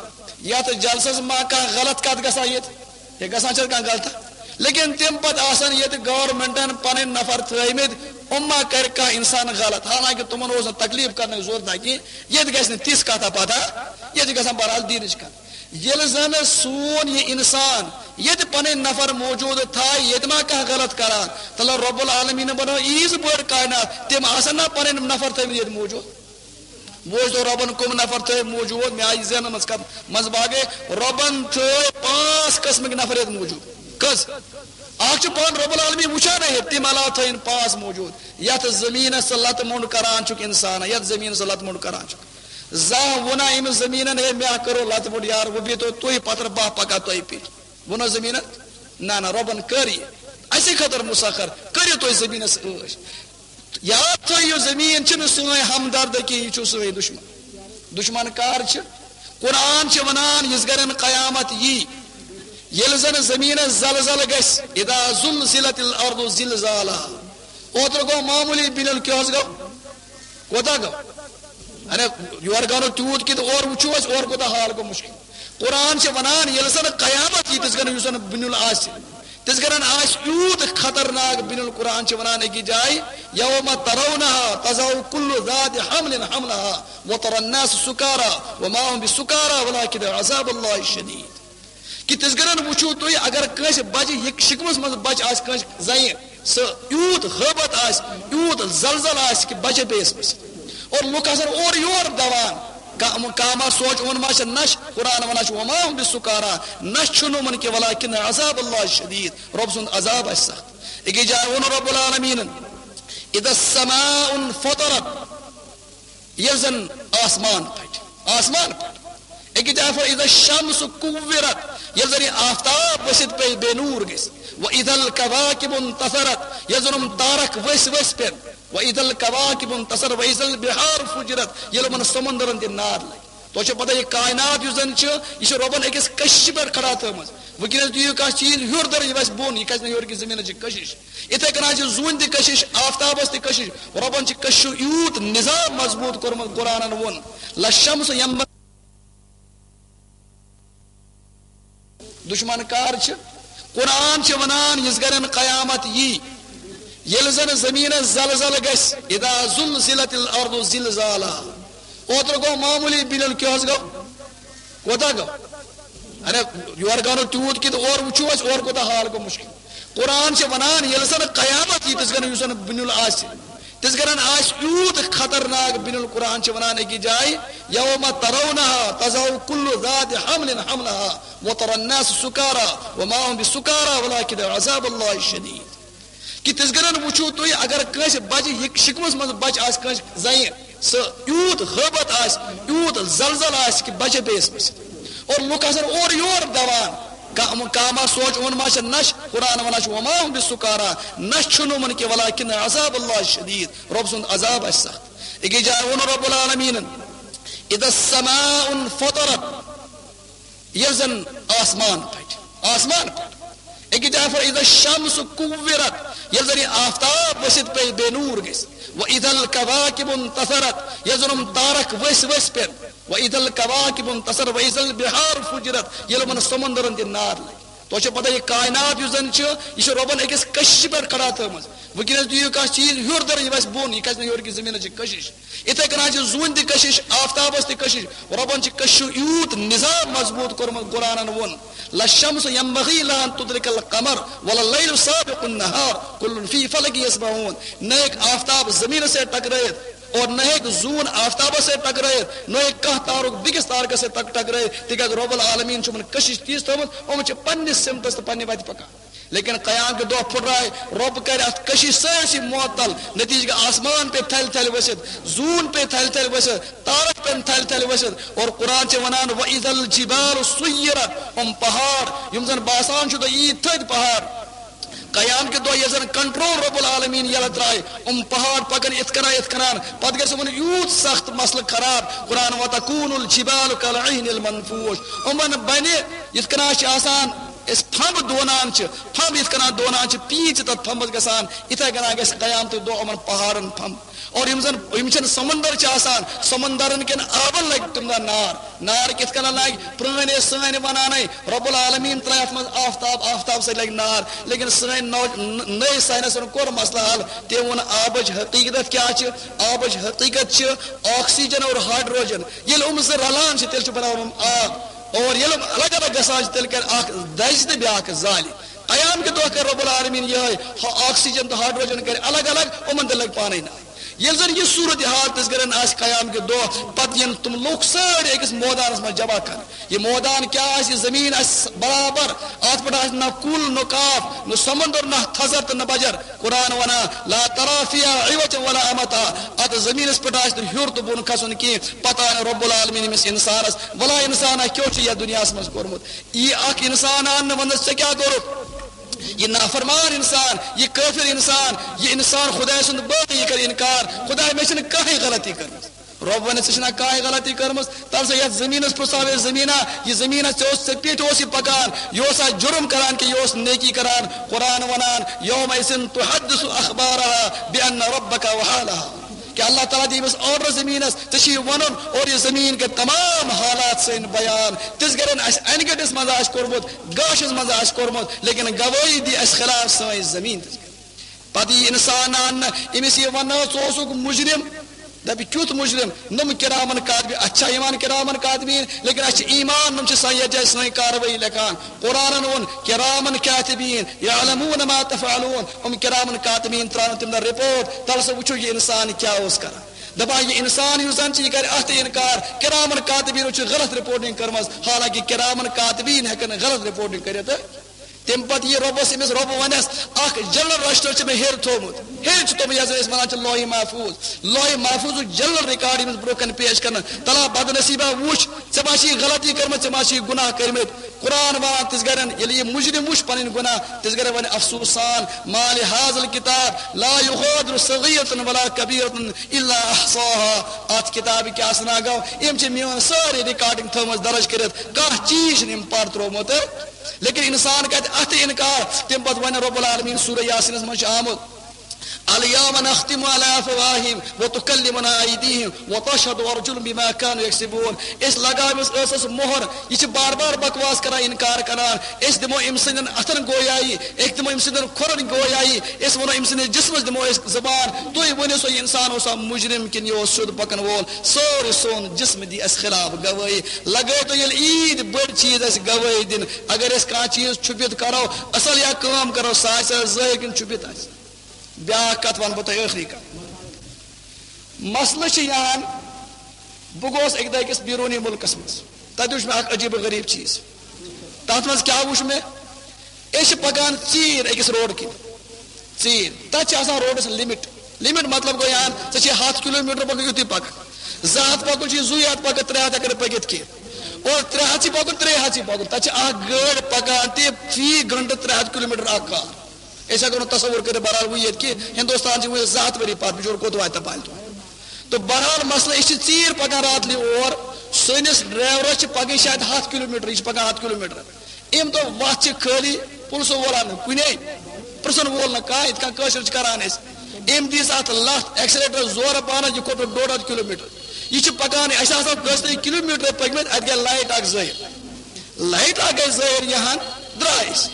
یتھ جلسس ما کانٛہہ غلط کتھ گژھان ییٚتہِ؟ ہے، گژھان چھا کانٛہہ غلط؟ لیکن تمہِ پتہٕ آسان ییٚتہِ گورنمنٹن پنٕنۍ نفر تھٲومٕتۍ، یِم ما کرِ کانٛہہ انسان غلط؟ حالانکہ تِمن اوس نہٕ تکلیف کرنٕچ ضرورت نہ کینٛہہ، ییٚتہِ گژھِ نہٕ تِژھ کتھا پتہ، ییٚتہِ گژھان بہرحال دیٖنٕچ کتھ۔ ییٚلہِ زن سون یہِ انسان ییٚتہِ پنٕنۍ نفر موجود تھایہِ، ییٚتہِ ما کانٛہہ غلط کران؟ تیٚلہِ رب العالمین بنٲو ییٖژ بٔڑ کائنات، تِم آسن نا پنٕنۍ نفر تھٲومٕتۍ ییٚتہِ موجود؟ بوز تو ربن کم نفر تھٲوۍ موجود، مےٚ آیہِ ذہنس منٛز کتھ منٛز باقٕے، ربن تھٲوۍ پانٛژھ قسمٕکۍ نفر ییٚتہِ موجود۔ کٔژ؟ اکھ چھُ پانہٕ رب العالمین وٕچھان ہے، تِم علاوٕ تھٲیِن پانٛژھ موجود۔ یتھ زمینس سۭتۍ لتہٕ موٚنڈ کران چھُکھ انسان، یتھ زمینس سۭتۍ لتہٕ موٚنڈ کران چھُکھ۔ زانٛہہ ووٚنا أمِس زٔمیٖنن، "ہے، مےٚ کٔرٕو لَتہٕ موٚنٛڈ یار، وۄنۍ بیٚہتو تُہۍ پتھر، بہہ پکا تۄہہِ پیٚٹھۍ؟" ووٚنا زٔمیٖنن؟ نہ، نہ، رۄبن کٔر یہِ اَسہِ خٲطرٕ مُسخر، کٔرِو تُہۍ زٔمیٖنس عٲش۔ یاد تھٲیِو، زٔمیٖن چھِنہٕ سٲنۍ ہمدرد کینٛہہ، یہِ چھُ سٲنۍ دُشمن۔ دُشمن کر چھِ؟ قرآن چھِ ونان، یِژھ گرٮ۪ن قیامت یی، ییٚلہِ زن زٔمیٖنس زلزلہٕ گژھِ، اذا زلزلت الارض زلزالہا۔ اوترٕ گوٚو معموٗلی بِنیُل، کیٛاہ حظ گوٚو؟ کوتاہ گوٚو؟ اَرے، یورٕ گوٚو نہٕ تیوٗت کینٛہہ تہٕ اورٕ وٕچھِو أسۍ، اورٕ کوٗتاہ حال گوٚو مُشکِل۔ قرآن چھِ وَنان، ییٚلہِ زَن قیامت یی، تِژھ گرٮ۪ن یُس زَن بُنیُل آسہِ، تِژھ گرٮ۪ن آسہِ یوٗت خطرناک بُنیُل۔ قرآن چھِ وَنان أکِس جایہِ، یوم ترونہا تذہل کل ذات حمل حملہا وتری الناس سکارا وما هم بسکارا ولکن عذاب اللہ شدید۔ کہ تِژھ گرٮ۪ن وٕچھِو تُہۍ، اگر کٲنٛسہِ بچہِ، یہِ شِکمس منٛز بچہِ آسہِ کٲنٛسہِ زنہِ، سُہ یوٗت ہٲبت آسہِ، یوٗت زلزل آسہِ کہ بچہِ پیٚیس مٔسِتھ۔ اور لُکھ آسن اورٕ یور دوان، کا-، کانٛہہ ما سونٛچہِ، یِمن ما چھِ نشہِ؟ قرآن ونان چھُ، "وما هم بسکارا"، نشہِ چھُنہٕ یِمن کینٛہہ، "ولکن عذاب اللہ شدید"، رۄب سُنٛد عذاب آسہِ سخت۔ أکِس جایہِ ووٚن رب العالمیٖنن، "اذا السماء انفطرت"، ییٚلہِ زن آسمان پھٹہِ، آسمان پھٹہِ۔ أکِس جایہِ فرموو، "اذا الشمس کورت"، ییٚلہِ زن یہِ آفتاب ؤسِتھ پیٚیہِ، بے نوٗر گژھِ۔ "واذا الکواکب انتثرت"، ییٚلہِ زن یِم تارک ؤسۍ ؤسۍ پیٚن۔ "واذا الکواکب انتثرت واذا البحار فجرت"، ییٚلہِ یِمن سمندرن تہِ نار لگہِ۔ تۄہہِ چھو پتہ، یہِ کائنات یُس زن چھِ، یہِ چھِ رۄبن أکِس کٔششہِ پٮ۪ٹھ کھڑا تھٲومٕژ۔ وٕنکیٚنس دِیِو کانٛہہ چیٖز ہیوٚر، دَر یہِ وَسہِ بۄن، یہِ کھسہِ نہٕ ہیوٚر کہِ زٔمیٖنس چھِ کٔشِش۔ یِتھے کٔنۍ چھِ زوٗنہِ تہِ کٔشِش، آفتابس تہِ کٔشِش۔ رۄبن چھِ کٔشِشو یوٗت نظام مضبوٗط کوٚرمُت، قرآنن ووٚن، "للشمس ینبغی"۔ دُشمن کر چھِ؟ قرآن چھِ ونان، یِژھ گرٮ۪ن قیامت یی، ییٚلہِ زن زٔمیٖنس زلزلہٕ گژھِ، "اذا زلزلت الارض زلزالہا"۔ اوترٕ گوٚو معموٗلی بِنیُل، کیٛاہ حظ گوٚو؟ کوتاہ گوٚو؟ اَرے، یورٕ گوٚو نہٕ تیوٗت کینٛہہ تہٕ اورٕ وٕچھِو أسۍ، اورٕ کوٗتاہ حال گوٚو مُشکِل۔ قرآن چھِ وَنان، ییٚلہِ زَن قیامت یی، تِژھ گرٮ۪ن یُس زَن بُنیُل آسہِ، تِژھ گرٮ۪ن آسہِ یوٗت خطرناک بُنیُل۔ قرآن چھِ وَنان أکِس جایہِ، "یوم ترونہا تذہل کل ذات حمل حملہا وتری الناس سکارا وما هم بسکارا ولکن عذاب اللہ شدید"۔ کہ تِژھ گرٮ۪ن وٕچھِو تُہۍ، اگر کٲنٛسہِ بچہِ، یہِ شِکمس منٛز بچہِ آسہِ کٲنٛسہِ زنہِ، سُہ یوٗت ہٲبت آسہِ، یوٗت زلزل آسہِ کہ بچہِ پیٚیس مٔسِتھ۔ اور لُکھ آسن اورٕ یور دوان، کانٛہہ، کانٛہہ ما سونٛچہِ، یِمن ما چھِ نشہِ؟ قرآن ونان چھُ، "وما هم بسکارا"، نشہِ چھُنہٕ یِمن کینٛہہ، "ولکن عذاب اللہ شدید"، رۄب سُنٛد عذاب آسہِ سخت۔ أکِس جایہِ ووٚن رب العالمیٖنن، "اذا السماء انفطرت"، ییٚلہِ زن آسمان پھٹہِ، آسمان پھٹہِ۔ أکِس جایہِ فرموو، "اذا الشمس کورت"، ییٚلہِ زن یہِ آفتاب ؤسِتھ پیٚیہِ، بے نوٗر گژھِ۔ "واذا الکواکب انتثرت"، ییٚلہِ زن یِم تارک ؤسۍ ؤسۍ پیٚن۔ "واذا الکواکب انتثرت واذا البحار فجرت"، ییٚلہِ یِمن سمندرن تہِ نار لگہِ۔ تۄہہِ چھو پتہ، یہِ کائنات یُس زن چھِ، یہِ چھِ رۄبن أکِس کٔششہِ پٮ۪ٹھ کھڑا تھٲومٕژ۔ وٕنکیٚنس دِیِو کانٛہہ چیٖز ہیوٚر، دَر یہِ وَسہِ بۄن، یہِ کھسہِ نہٕ ہیوٚر کہِ زٔمیٖنس چھِ کٔشِش۔ یِتھے کٔنۍ چھِ زوٗنہِ تہِ کٔشِش، آفتابس تہِ کٔشِش۔ رۄبن چھِ کٔشِشو یوٗت نظام مضبوٗط کوٚرمُت، قرآنن ووٚن، "لا الشمس ينبغي لها أن تدرك القمر ولا الليل سابق النهار كل في فلك يسبحون"۔ نہ ہیٚکہِ آفتاب زٔمیٖنس سۭتۍ ٹکرٲیِتھ اور نہ ہیٚکہِ زوٗن آفتابس سۭتۍ ٹکرٲیِتھ، نہ ہیٚکہِ کانٛہہ تارُک بیٚکِس تارکس سۭتۍ ٹک-، ٹکرٲیِتھ، تِکیازِ رۄب العالمیٖن چھُ یِمن کٔشِش تِژھ تھٲومٕژ، یِم چھِ پننِس سِمتس تہٕ پننہِ وتہِ پکان۔ لیکن قیام کہِ دۄہ پھُٹرایہِ، رۄب کرِ اتھ کٔشِش سٲرسٕے معطل۔ نتیجہ گٔے آسمان پیٚیہِ تھلہِ تھلہِ ؤسِتھ، زوٗن پیٚیہِ تھلہِ تھلہِ ؤسِتھ، تارک پیٚن تھلہِ تھلہِ ؤسِتھ۔ اور قرآن چھِ ونان، "وَإِذَا الْجِبَالُ سُيِّرَتْ"، یِم پہاڑ، یِم زن باسان چھُ تۄہہِ ییٖتۍ تھٔدۍ پہاڑ، قیام کہِ دۄہ ییٚلہِ زن کنٹرول رب العالمین یلہٕ ترایہِ، یِم پہاڑ پکن یِتھ کٔنۍ یِتھ کٔنۍ، پتہٕ گژھِ یِمن یوٗت سخت مسلہٕ خراب۔ قرآن، "وَتَكُونُ الْجِبَالُ كَالْعِهْنِ الْمَنْفُوشِ"، یِمن بنہِ یِتھ کٔنۍ چھِ آسان أسۍ پھمب دونان چھِ، پھمب یِتھ کٔنۍ دونان چھِ، پیٖنتۍ چھِ تَتھ پھمبس گژھان، یِتھَے کٔنۍ گژھِ قیامتٕکۍ دۄہ یِمَن پہاڑَن پھمب۔ اور یِم زَن، یِم چھِنہٕ سمندر چھِ آسان، سمندرَن کٮ۪ن آبَن لَگہِ تِم دۄہ نار۔ نار کِتھ کٔنۍ لَگہِ؟ پرٛٲنۍ ٲسۍ سٲنۍ وَنانَے، رب العالمین ترٛایہِ اَتھ منٛز آفتاب، آفتاب سۭتۍ لَگہِ نار۔ لیکن سٲنۍ نو-، ن-، نٔے ساینَسَن کوٚر مسلہٕ حل۔ تٔمۍ ووٚن آبٕچ حقیٖقت کیٛاہ چھِ؟ آبٕچ حقیٖقت چھِ آکسیجن اور ہائیڈروجن۔ ییٚلہِ یِم زٕ رلان چھِ، تیٚلہِ چھُ بناوان یِم آب۔ اور ییٚلہِ یِم الگ الگ گژھان چھِ، تیٚلہِ کرِ اکھ دَزِ تہٕ بیٛاکھ زالہِ۔ قیام کہِ دۄہ کرِ رب العالمین یِہوٚے، ہا، آکسیجن تہٕ ہائیڈروجن کرِ الگ الگ، یِمن تہِ لگہِ پانے نار۔ ییٚلہِ زن یہِ صورت حال تِژھ گرن آسہِ قیام کہِ دۄہ، پتہٕ یِن تِم لُکھ سٲری أکِس مٲدانس منٛز جمع کرنہٕ۔ یہِ مٲدان کیٛاہ آسہِ؟ یہِ زٔمیٖن آسہِ برابر، اتھ پٮ۪ٹھ آسہِ نہ کُل، نہ کاف، نہ سمندر، نہ تھزر تہٕ نہ بجر۔ قرآن ونان، "لا ترى فيها عوجا ولا أمتا"۔ اتھ زمینس پٮ۪ٹھ آسہِ نہٕ ہیوٚر تہٕ بۄن کھسُن کینٛہہ۔ پتہٕ انہِ رب العالمین أمِس انسانس، "ولا انسانا، کیٛاہ چھُ یتھ دُنیاہس منٛز کوٚرمُت؟" یی اکھ انسان اننہٕ، ونس، "ژےٚ کیٛاہ کوٚرُتھ؟" یہِ نافرمان انسان، یہِ کٲفر انسان، یہِ انسان خدایہِ سُنٛد بٲتھ، یہِ کرِ انکار، "خدایا، مےٚ چھنہٕ کٕہٕنۍ غلطی کٔرمٕژ۔" رب ونہِ، "ژےٚ چھُنہ کانٛہہ غلطی کٔرمٕژ؟" تَلہٕ سا یَتھ زٔمیٖنَس پرٛژھاو ہے زٔمیٖنا، یہِ زٔمیٖنا، ژےٚ اوس، ژےٚ پیٚٹھ اوس یہِ پکان، یہِ اوسا جُرم کران کِنہٕ یہِ اوس نیکی کران؟ قرآن ونان، "یومئذ تحدث اخبارها بأن ربك اوحى لها"۔ کہ اللہ تعالیٰ دِیہِ أمِس آرڈر زٔمیٖنَس، ژےٚ چھُے یہِ وَنُن، اور یہِ زٔمیٖن کرِ تمام حالات سٲنۍ بیان۔ تِژھ گرن اَسہِ انہِ گٔٹِس منٛز آسہِ کوٚرمُت، گاشَس منٛز آسہِ کوٚرمُت، لیکن گوٲہی دی اَسہِ خلاف سٲنۍ زٔمیٖن تِژھ گرن۔ پتہٕ یی انسان اننہٕ، أمِس یی وننہٕ، "ژٕ اوسُکھ مجرم۔" دپہِ، "کیُتھ مجرم؟" نوٚم کرامن کاتبین، اتھ چھا یِوان کرامن کاتبین؟ لیکن اسہِ چھِ ایمان، نوٚم چھِ سۄ یتھ جایہِ سٲنۍ کاروٲیی لیکھان۔ قرآنن ووٚن، "کرامن کاتبین یعلمون ما تفعلون"۔ یِم کرامن کاتبین ترٛاون تِم دپن رپورٹ، تلہٕ سا وٕچھو یہِ انسان کیٛاہ اوس کران۔ دپان یہِ انسان یُس زن چھِ، یہِ کرِ اتھ تہِ انکار، کرامن کاتبینو چھِ غلط رپورٹنگ کٔرمٕژ، حالانکہ کرامن کاتبین ہٮ۪کن نہٕ غلط رپورٹنگ کٔرِتھ۔ تَمہِ پتہٕ یہِ رۄبَس، أمِس رۄبہٕ وَنٮ۪س، "اَکھ جنرل رجسٹر چھُ مےٚ ہیٚرِ تھوٚومُت۔" ہیٚرِ چھُ تھوٚومُت، یَتھ زَن أسۍ وَنان چھِ لوحِ محفوٗظ۔ لوحِ محفوٗظُک جنرل ریکارڈ أمِس برٛونٛہہ کَنہِ پیش کرنہٕ۔ تَلہٕ ہا بدنصیٖبا، وٕچھ، ژےٚ ما چھِ یہِ غلطی کٔرمٕژ، ژےٚ ما چھِ یہِ گُناہ کٔرمٕتۍ۔ قرآن وَنان تِژھ گرٮ۪ن، ییٚلہِ یہِ مُجرِم وٕچھ پَنٕنۍ گُناہ، تِژھ گرٮ۪ن وَنہِ، "افسوسان، ما لہذا الکتاب لا یغادر صغیرة ولا کبیرة الا احصاها"۔ اَتھ کِتابہِ کیٛاہ سنا گوٚو؟ أمۍ چھِ میٛٲنۍ سٲرٕے ریکارڈنگ تھٲومٕژ درٕج کٔرِتھ، کانٛہہ چیٖز چھِنہٕ أمۍ پَر ترٛوومُت۔ لیکن انسان کتہِ اتھ انکار؟ تمہِ پتہٕ ونہِ رب العالمین سورہ یاسینس منٛز چھُ آمُت، "الیوم نختم علی افواہہم وتکلمنا ایدیہم وتشہد ارجلہم بما کانوا یکسبون"۔ أسۍ لگاوو أمِس ٲسس مۄہر، یہِ چھِ بار بار بکواس کران، انکار کران۔ أسۍ دِمو أمۍ سٕنٛدٮ۪ن اتھن گویایی، أسۍ دِمو أمۍ سٕنٛدٮ۪ن کھۄرن گویایی، أسۍ ونو أمۍ سٕنٛدِس جسمس دِمو أسۍ زبان۔ تُہۍ ؤنِو سا، یہِ انسان اوسا مجرم کِنہٕ یہِ اوس سیوٚد پکن وول؟ سورُے سون جسم دی اسہِ خلاف گوٲہی۔ لگٲے تو ییٚلہِ عیٖد بٔڑ چیٖز آسہِ گوٲہی دِنۍ، اگر أسۍ کانٛہہ چیٖز چھُپِتھ کرو، اصل یا کٲم کرو، سۄ آسہِ ظٲہِر کِنہٕ چھُپِتھ آسہِ؟ بیٛاکھ کتھ ونہٕ بہٕ تۄہہِ، ٲخری کتھ۔ مسلہٕ چھُ یِہان، بہٕ گوس اکہِ دۄہ أکِس بیروٗنی مُلکس منٛز، تتہِ وُچھ مےٚ اکھ عجیٖب و غریٖب چیٖز۔ تتھ منٛز کیٛاہ وُچھ مےٚ؟ أسۍ چھِ پکان ژیٖرۍ أکِس روڈ کِنۍ، ژیٖرۍ، تتہِ چھِ آسان روڈس لمٹ۔ لمٹ مطلب گوٚو یِہان، ژےٚ چھِ ہتھ کلوٗ میٖٹر پکُن، یُتُے پکان۔ زٕ ہتھ پکُن چھُ، زٕے ہتھ پکان، ترٛےٚ ہتھ ہٮ۪کن نہٕ پٔکِتھ کینٛہہ۔ اور ترٛےٚ ہتھ چھِ پکُن، ترٛےٚ ہتھ چھِ پکُن۔ تتہِ چھِ اکھ گٲڑۍ پکان تہِ فی گھنٹہٕ ترٛےٚ ہتھ کلوٗ میٖٹر اکھ کار۔ أسۍ ہٮ۪کو نہٕ تصور کٔرِتھ، بہرحال، وۄنۍ ییٚتہِ کہِ ہندوستان چھِ وۄنۍ زٕ ہتھ ؤری پتھ، بِچور کوٚت واتہِ تہٕ پالہِ تور۔ تہٕ بہرحال مسلہٕ، أسۍ چھِ ژیٖرۍ پکان راتلہِ اور، سٲنِس ڈرایورس چھِ پکٕنۍ شاید ہتھ کلوٗ میٖٹر، یہِ چھِ پکان ہتھ کلوٗ میٖٹر۔ أمۍ دوٚپ، "وَتھ چھِ خٲلی، پُلسہٕ وول آو نہٕ کُنے، پرٛژھن وول نہٕ کانٛہہ، یِتھ کٔنۍ کٲشِر چھِ کران أسۍ۔" أمۍ دِژ اَتھ لَتھ، ایکسیلیٹر زورٕ پانَس، یہِ کھوٚت ڈۄڈ ہَتھ کِلوٗ میٖٹر۔ یہِ چھِ پَکان، اَسہِ آسہٕ کٔژتٲنۍ کِلوٗ میٖٹر پٔکۍمٕتۍ، اَتہِ گٔے لایٹ اَکھ ظٲہِر۔ لایٹ اَکھ گٔے ظٲہِر یِہَن، درٛاے أسۍ۔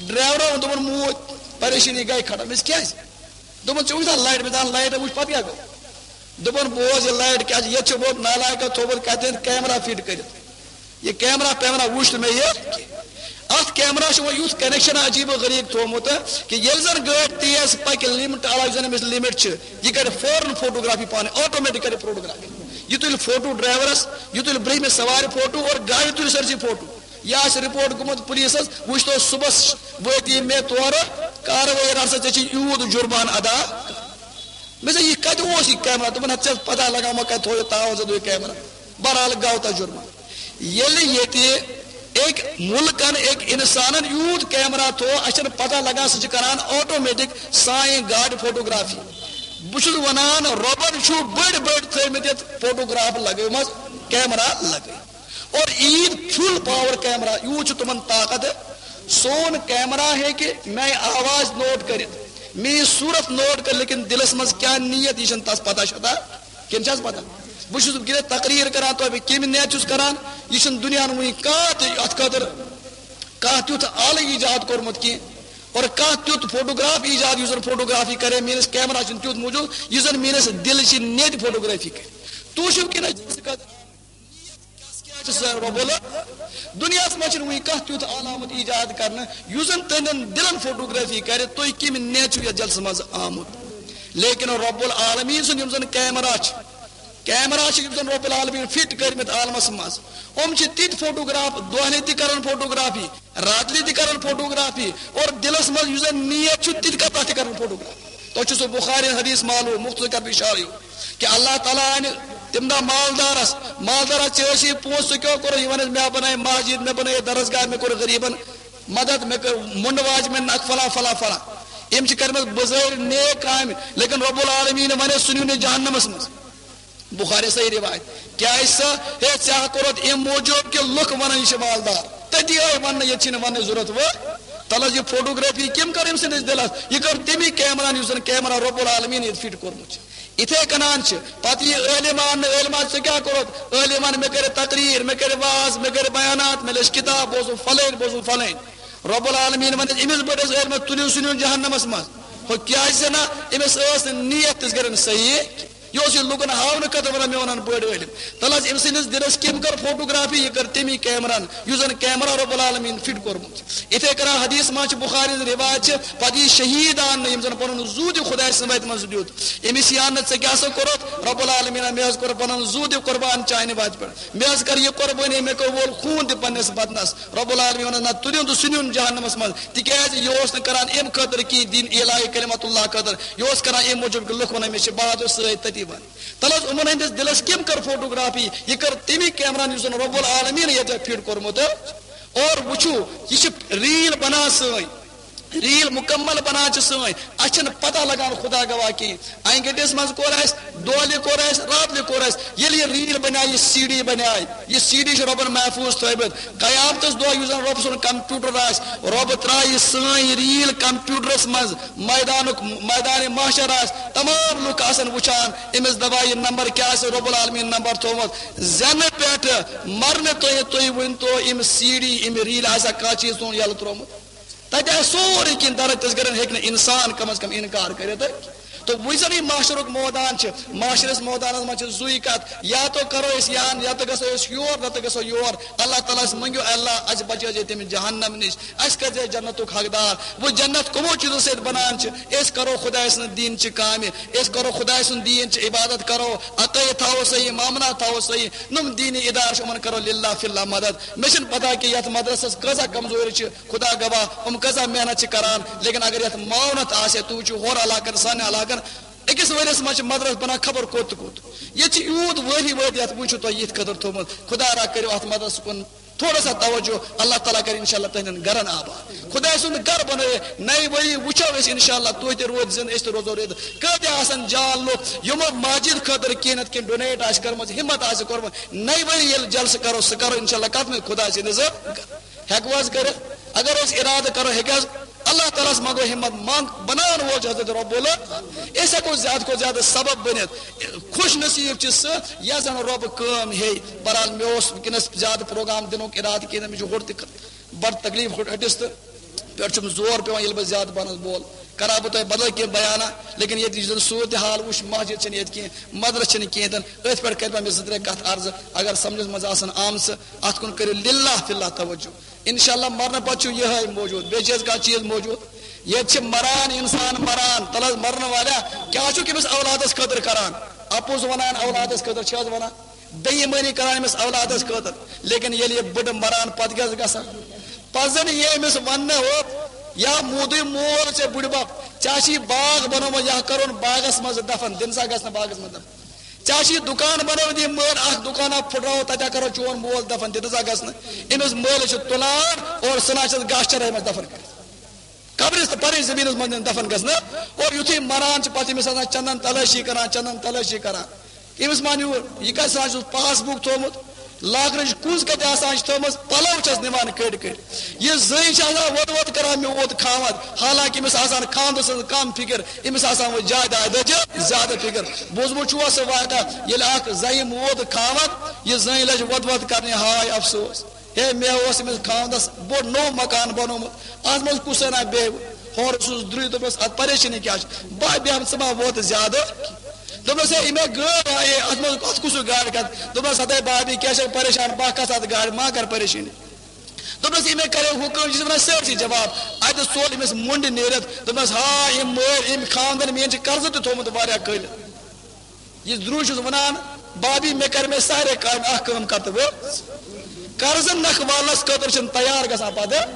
ڈرایورَن ووٚن، دوٚپُن، "موٗدۍ، پریشٲنی گٔے ختم۔" أسۍ، "کیٛازِ؟" دوٚپُن، "ژےٚ وٕچھ نا لایٹ؟" مےٚ دوٚپ، "لایٹ وٕچھ، پَتہٕ کیٛاہ گوٚو؟" دوٚپُن، "بوز یہِ لایٹ کیٛاہ چھِ، ییٚتہِ چھُ ووت نالایکو تھوٚومُت کَتٮ۪ن کیمرہ فِٹ کٔرِتھ۔ یہِ کیمرہ پیمرہ وُچھ نہٕ مےٚ یہِ کینٛہہ۔ اَتھ کیمرہ چھُ وۄنۍ یُتھ کنیکشن عجیٖب و غریٖب تھوٚومُت کہِ ییٚلہِ زَن گٲڑۍ تیز پَکہِ، لِمٹ علاوٕ یُس زَن أمِس لِمٹ چھِ، یہِ کَرِ فوراً فوٹوگرافی پانَے، آٹومیٹک کَرِ فوٹوگرافی۔ یہِ تُلہِ فوٹو ڈرایورَس، یہِ تُلہِ برٛنٛہمِس سوارِ فوٹو اور گاڑِ تُلہِ سٲرسٕے فوٹو۔ یہِ آسہِ رپورٹ گوٚمُت پُلیٖسَس، وٕچھ تو صُبحَس وٲتی مےٚ تورٕ، کاروٲیی رَٹھ سا، ژےٚ چھِ یوٗت جُرمان ادا۔ مےٚ دوٚپ، "یہِ کَتہِ اوس یہِ کیمرہ؟" دوٚپُن، "ہَتہٕ ژےٚ پَتہ لگاومو کَتہِ تھوٚو یہِ، تھاوو ژےٚ دوٚپ یہِ کیمرہ۔" بہرحال گوٚو تَتھ جُرمان۔ ییٚلہِ ییٚتہِ أکۍ مُلکَن، أکۍ اِنسانَن یوٗت کیمرہ تھوٚو، اَسہِ چھَنہٕ پَتہ لگان، سُہ چھُ کران آٹومیٹک سانہِ گاڑِ فوٹوگرافی۔ بہٕ چھُس وَنان، رۄبَن چھُ بٔڑۍ بٔڑۍ تھٲومٕتۍ یَتھ فوٹوگراف لگٲومٕژ، کیمرہ لگٲوِتھ۔ اور عیٖد فُل پاور کیمرہ، یوٗت چھُ تِمَن طاقت۔ سون کیمرہ ہیٚکہِ میانہِ آواز نوٹ کٔرِتھ، میٲنۍ صورت نوٹ کٔرِتھ، لیکن دِلس منٛز کیٛاہ نیت، یہِ چھنہٕ تس پتہ شتہ۔ کِنہٕ چھس پتہ؟ بہٕ چھُس وٕنکیٚنس تقریر کران، تۄہہِ بہٕ کمہِ نیتہٕ چھُس کران، یہِ چھُنہٕ دُنیاہن وٕنہِ کانٛہہ تہِ اتھ خٲطرٕ کانٛہہ تیُتھ آلہٕ ایجاد کوٚرمُت کینٛہہ، اور کانٛہہ تیُتھ فوٹوگراف ایجاد، یُس زن فوٹوگرافی کرے میٲنِس کیمرہ چھُنہٕ تیُتھ موٗجوٗد، یُس زن میٲنِس دِلہٕ چہِ نیتہِ فوٹوگرافی کرِ۔ تُہۍ چھِو کِنہٕ کیٛاہ چھِ سۄ رۄب ال-، دُنیاہَس منٛز چھُنہٕ وٕنہِ کانٛہہ تیُتھ علامت ایجاد کرنہٕ، یُس زن تُہنٛدٮ۪ن دِلن فوٹوگرافی کرِ، تُہۍ کمہِ نیتہٕ چھِو یتھ جلسس منٛز آمُت۔ لیکن رب العالمین سُنٛد یِم زن کیمرہ چھِ، کیمرہ چھِ یِم زن رب العالمین فٹ کٔرمٕتۍ عالمس منٛز، یِم چھِ تِتھۍ فوٹوگراف، دۄہلہِ تہِ کران فوٹوگرافی، راتلہِ تہِ کران فوٹوگرافی، اور دِلس منٛز یُس زن نیت چھُ، تِتہِ کر-، تتھ تہِ کران فوٹوگرافی۔ تۄہہِ چھُ سُہ بخاری حدیث معلوم، مختصر کرٕ بہٕ اشارٕ یہِ، کہ اللہ تعالیٰ انہِ تمہِ دۄہ مالدارس، مالدارس ژےٚ ٲسی پونٛسہٕ، ژٕ کیٛاہ کوٚرُتھ؟ یہِ ونس، مےٚ بنٲے مسجد، مےٚ بنٲے درسگاہ، مےٚ کوٚر غریبن مدد، مےٚ کٔر مُنڈ واجہِ، مےٚ نکھ فلاں فلاں فلاں۔ أمۍ چھِ کٔرمٕژ بظٲہر نیک کامہِ، لیکن رب العالمین ونٮ۪س سُہ نیوٗ نہٕ جہنمس منٛز۔ بخاری صحیح روایت۔ کیٛازِ سا؟ ہے، ژےٚ ہا کوٚرُتھ امہِ موٗجوٗب کہ لُکھ ونان یہِ چھِ مالدار۔ تٔتی آے وننہٕ، ییٚتہِ چھِنہٕ وننٕچ ضروٗرت وۄنۍ۔ تلہٕ حظ، یہِ فوٹوگرافی کٔمۍ کٔر أمۍ سٕنٛدِس دِلس؟ یہِ کٔر تٔمی کیمرہن یُس زن کیمرہ رب العالمین ییٚتہِ فٹ کوٚرمُت چھُ۔ یِتھے کٔنۍ چھِ پتہٕ یہِ عٲلم اننہٕ، عٲلم، ژےٚ کیٛاہ کوٚرُتھ؟ عٲلم ون، مےٚ کٔرِ تقریر، مےٚ کٔرِ واز، مےٚ کٔرِ بیانات، مےٚ لیٚچھ کِتاب، بوزُم فلٲنۍ، بوزُم فلٲنۍ۔ رب العالمین ونہِ أمِس بٔڑِس عٲلمس، تُلِو سُہ نیُن جہنمس منٛز۔ ہُہ کیٛازِ زِ نہ؟ أمِس ٲس نہٕ نیت تِژھ گرِ نہٕ صحیح۔ یہِ اوس یہِ لُکن ہاونہٕ خٲطرٕ ونان، مےٚ ونن بٔڑۍ عٲلم۔ تلہٕ حظ، أمۍ سٕنٛدِس دِلس کٔمۍ کٔر فوٹوگرافی؟ یہِ کٔر تٔمی کیمرہن، یُس زن کیمرہ رب العالمین فٹ کوٚرمُت۔ یِتھے کٔنۍ حدیث منٛز چھِ، بخاری ہٕنٛز روایت چھِ، پتہٕ یی شہیٖد اننہٕ، یِم زن پنُن زُو تہِ خۄدایہِ سٕنٛدِ وتہِ منٛز دیُت۔ أمِس یی اننہٕ، ژےٚ کیٛاہ سا کوٚرُتھ؟ رب العالمیٖن، مےٚ حظ کوٚر پنُن زُو تہِ قربان چانہِ وتہِ پٮ۪ٹھ۔ مےٚ حظ کٔر یہِ قربٲنی، مےٚ کوٚر وول خوٗن تہِ پننِس بدنس۔ رب العالمین ونان، نہ، تُلِو تہٕ سُہ نیُن جہنمس منٛز، تِکیٛازِ یہِ اوس نہٕ کران امہِ خٲطرٕ کینٛہہ، دین اعلاء کلمت اللہ خٲطرٕ، یہِ اوس کران امہِ موٗجوٗب کہِ لُکھ ونان، مےٚ چھِ بہادر سۭتۍ تٔتی بنہٕ۔ تلہٕ حظ، یِمن ہٕنٛدِس دِلس کٔمۍ کٔر فوٹوگرافی؟ یہِ کٔر تٔمی کیمرہن، یُس زن رب العالمین ییٚتہِ فٹ کوٚرمُت۔ اور وٕچھِو، یہِ چھِ ریٖل بنان سٲنۍ، ریٖل مکمل بنان چھِ سٲنۍ، اَسہِ چھَنہٕ پتہ لگان خدا گواہ کِہیٖنۍ۔ انگٹس منٛز کوٚر اَسہِ، دۄہلہِ کوٚر اَسہِ، راتلہِ کوٚر اَسہِ۔ ییٚلہِ یہِ ریٖل بنیٛاے، یہِ سی ڈی بنیٛاے، یہِ سی ڈی چھُ رۄبن محفوظ تھٲومٕژ۔ قیامتس دۄہ یُس زن رۄب سُنٛد کمپیوٹر آسہِ، رۄب ترٛایہِ سٲنۍ ریٖل کمپیوٹرس منٛز۔ میدانُک، میدان محشر آسہِ، تمام لُکھ آسن وٕچھان، أمِس دپان، یہِ نمبر کیٛاہ آسہِ رۄب العالمین نمبر تھوٚومُت؟ زینہٕ پٮ۪ٹھٕ مرنہٕ تۄہہِ، تُہۍ ؤنۍ تو، أمۍ سی ڈی، أمۍ ریٖل آسیا کانٛہہ چیٖز سون یَلہٕ ترٛوومُت؟ تتہِ آسہِ سورُے کینٛہہ درد، تِژھ گرن ہیٚکہِ نہٕ انسان کم از کم انکار کٔرِتھ۔ تہٕ وۄنۍ زن یہِ محشرُک مٲدان چھُ، محشرس مٲدانس منٛز چھِ زُوٕے کتھ، یا تو کرو أسۍ یان، یا تو گژھو أسۍ یور، نتہٕ گژھو یور۔ اللہ تعالیٰ ہس منٛگِو، اللہ، اسہِ بچٲے زِ تٔمِس جہنم نِش، اسہِ کٔرۍ زِ جنتُک حقدار۔ وۄنۍ جنت کٕمو چیٖزو سۭتۍ بنان چھِ؟ أسۍ کرو خدایہِ سٕنٛز دیٖن چہِ کامہِ، أسۍ کرو خدایہِ سُنٛد دیٖن چہِ عبادت کرو، عقٲیِد تھاوو صحیح، مامنات تھاوو صحیح، نُم دیٖنی ادارٕ چھِ، یِمن کرو للہ فی اللہ مدد۔ مےٚ چھنہٕ پتہ کہِ یتھ مدرسس کۭژاہ کمزوری چھِ، خدا گواہ، یِم کۭژاہ محنت چھِ کران، لیکن اگر یتھ معاونت آسہِ ہے، تُہۍ وٕچھِو ہورٕ علاقن، سانہِ علاقن، أکِس ؤریس منٛز چھِ مدرس بنان خبر کوٚت تہٕ کوٚت۔ ییٚتہِ چھِ یوٗت وٲری وٲری، یتھ وٕچھِو تۄہہِ یِتھ خٲطرٕ تھوٚومُت۔ خدا را کٔرِو اتھ مدرسہٕ کُن تھوڑا سا توجہ، اللہ تعالیٰ کرِ انشاءاللہ تُہنٛدٮ۪ن گرن آباد۔ خدایہِ سُنٛد گرٕ بنٲیِتھ نَیہِ ؤری وٕچھو أسۍ انشاءاللہ، تُہۍ تہِ روٗزِو زِنٛدٕ، أسۍ تہِ روزو رٲضۍ۔ کۭتیاہ آسن جان لُکھ یِمو مسجد خٲطرٕ کینٛہہ نتہٕ کینٛہہ ڈونیٹ آسہِ کٔرمٕژ، ہمت آسہِ کوٚرمُت۔ نَیہِ ؤری ییٚلہِ جلسہٕ کرو، سُہ کرو انشاءاللہ کتھ منٛز؟ خدایہِ سٕنٛدِ ذٔریعہٕ۔ ہٮ۪کو حظ کٔرِتھ؟ اگر أسۍ ارادٕ کرو، ہیٚکہِ حظ؟ اللہ تعالیٰ ہس منٛگو ہمت، منٛگ بناون وول چھُ حضرت رب العالمین۔ أسۍ ہٮ۪کو زیادٕ کھۄتہٕ زیادٕ سبب بٔنِتھ۔ خوش نصیب چھِ سُہ، یس زن رۄب کٲم ہیٚیہِ۔ بہرحال، مےٚ اوس وٕنکیٚنس زیادٕ پروگرام دِنُک ارادٕ کینٛہہ، مےٚ چھُ ہورٕ تہِ بڑٕ تکلیف ہُٹِس تہٕ پٮ۪ٹھ چھُم زور پٮ۪وان، ییٚلہِ بہٕ زیادٕ پانس بول کرا بہٕ تۄہہِ بدل کینٛہہ بیانہ، لیکن ییٚتہِ یُس زن صورت حال وٕچھ، مسجد چھنہٕ ییٚتہِ کینٛہہ، مدرسہٕ چھنہٕ کینٛہہ، تہٕ أتھۍ پٮ۪ٹھ کرِ مےٚ زٕ ترٛےٚ کتھ عرضہٕ، اگر سمجھس منٛز آسن آمژٕ، اتھ کُن کٔرِو للہ فی اللہ توجہ۔ انشاءاللہ مرنہٕ پتہٕ چھُ یِہوٚے موجود، بیٚیہِ چھِ حظ کانٛہہ چیٖز موجود؟ ییٚتہِ چھِ مران انسان، مران، تلہٕ حظ مرنہٕ والیا، کیٛاہ چھُکھ أمِس اولادس خٲطرٕ کران؟ اپُز ونان اولادس خٲطرٕ، چھِ حظ ونان؟ بے ایمٲنی کران أمِس اولادس خٲطرٕ، لیکن ییٚلہِ یہِ بٕڈٕ مران، پتہٕ کیٛاہ چھُ گژھان؟ پتہٕ زن یی أمِس وننہٕ، ہو، یا موٗدُے مول ژےٚ بٕڈبب، ژےٚ چھُے باغ بنومُت، یا کرون باغس منٛز دفن، دِن سا گژھنہٕ باغس منٛز دفن۔ ژےٚ چھُے دُکان بنٲوِتھ، یہِ مٲر اکھ دُکانا پھُٹراوو، تتہِ کرو چون مول دفن، دِتہٕ سا گژھنہٕ؟ أمِس مٲلِس چھِ تُلان اور ژھٕنان چھِس گاسہٕ چرٲے منٛز دفن کٔرِتھ۔ قبرس تہٕ پننہِ زمینس منٛز دِن دفن گژھنہٕ۔ اور یُتھُے مران چھِ، پتہٕ أمِس آسان چندن تلٲشی کران، چندن تلٲشی کران۔ أمِس ما نیوٗر؟ یہِ کتہِ سا چھُس پاس بُک تھوٚومُت؟ لاکرٕچ کُنٛز کتہِ آسان چھِ تھٲومٕژ، پلو چھس نِوان کٔڑۍ کٔڑۍ۔ یہِ زٔنۍ چھِ آسان وۄد وۄد کران، میوٗت خاوند، حالانکہِ أمِس آسان خاوندٕ سٕنٛز کم فکر، أمِس آسان وۄنۍ جائیدادٕچ زیادٕ فکر۔ بوٗزمُت چھُوا سُہ واقعہ، ییٚلہِ اکھ زنہِ موٗد خاوند، یہِ زٔنۍ لٔج وۄد وۄد کرنہِ، ہاے افسوس، ہے مےٚ اوس أمِس خاوندس بوٚڑ نوٚو مکان بنوومُت، اتھ منٛز کُس ہنا بیٚہہِ؟ ہورٕ اوسُس درٛوے، دوٚپنس، اتھ پریشٲنی کیٛاہ چھِ؟ بہٕ بیٚہمہٕ، ژٕ ما ووتہٕ زیادٕ؟ دوٚپنس، ہے، یہِ مےٚ گٲڑۍ آیے، اتھ منٛز کۄس کُس گاڑِ کتھ؟ دوٚپنس، ہتے بابی، کیٛاہ چھکھ پریشان؟ بہٕ کس اتھ گاڑِ، ما کر پریشٲنی۔ دوٚپنس، یہِ مےٚ کرے حُکم، یہِ چھِ ونان سٲرسٕے جواب۔ اتہِ ژوٚل أمِس مُنڈ نیٖرِتھ، دوٚپنس، ہا، یِم مٲرۍ، أمۍ خاندن میٲنۍ چھِ قرضہٕ تہِ تھوٚومُت واریاہ کٔلۍ۔ یہِ درٛوے چھُس ونان، بابی، مےٚ کر مےٚ سارے کامہِ، اکھ کٲم کر تہٕ وۄنۍ۔ قرضہٕ نکھٕ والنس خٲطرٕ چھِنہٕ تیار گژھان پتہٕ۔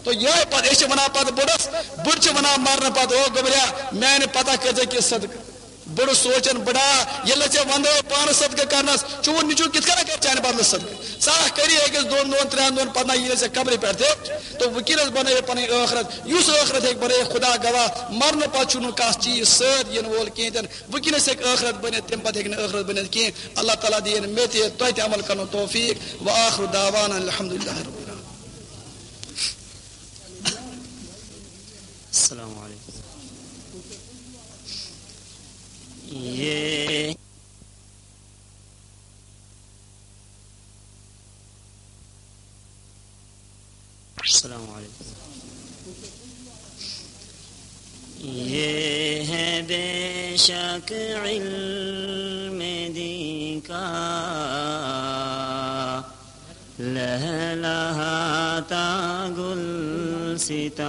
تو یِہوٚے پتہٕ، أسۍ چھِ ونان پتہٕ بٕڑس، بٕڑ چھِ ونان مرنہٕ پتہٕ، او گوٚبریا، میانہِ پتہ کٔرۍ زِ کینٛہہ صدقہٕ۔ بٕڑٕ سوچان، بٕڑا، ییٚلہِ نہٕ ژےٚ وندے پانہٕ صدقہٕ کرنس، چون نیٚچو کِتھ کٔنۍ کرِ چانہِ بدلہٕ صدقہٕ؟ ژٕ اکھ کری أکِس دۄن دۄہن، ترٛٮ۪ن دۄہن، پتہٕ نہ یی نہٕ ژےٚ قبرِ پٮ۪ٹھ تہِ۔ تو وۄنۍ کِتھ بنٲیِو پنٕنۍ ٲخرت؟ یُس ٲخرت ہیٚکہِ بنٲیِتھ، خدا گواہ، مرنہٕ پتہٕ چھُنہٕ کانٛہہ چیٖز سۭتۍ یِنہٕ وول کِہیٖنۍ تہِ نہٕ۔ وٕنکیٚنَس ہیٚکہِ ٲخرت بٔنِتھ، تَمہِ پَتہٕ ہیٚکہِ نہٕ ٲخرت بٔنِتھ کِہیٖنۍ۔ اللہ تعالیٰ دِیِن مےٚ تہِ تۄہہِ تہِ عمل کَرنُک توفیٖق۔ وآخر دعوانا الحمدللہ رب العالمین۔ السلام علیکم۔ یہ السلام علیکم۔ یہ ہے بے شک علم دین کا لہلہاتا گلستاں،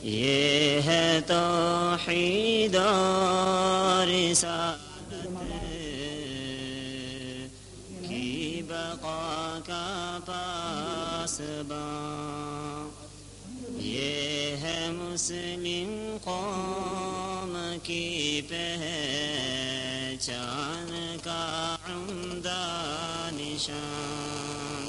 یہ ہے توحید اور رسالت کی بقا کا پاسبان، یہ ہے مسلم قوم کی پہچان کا عمدہ نشان،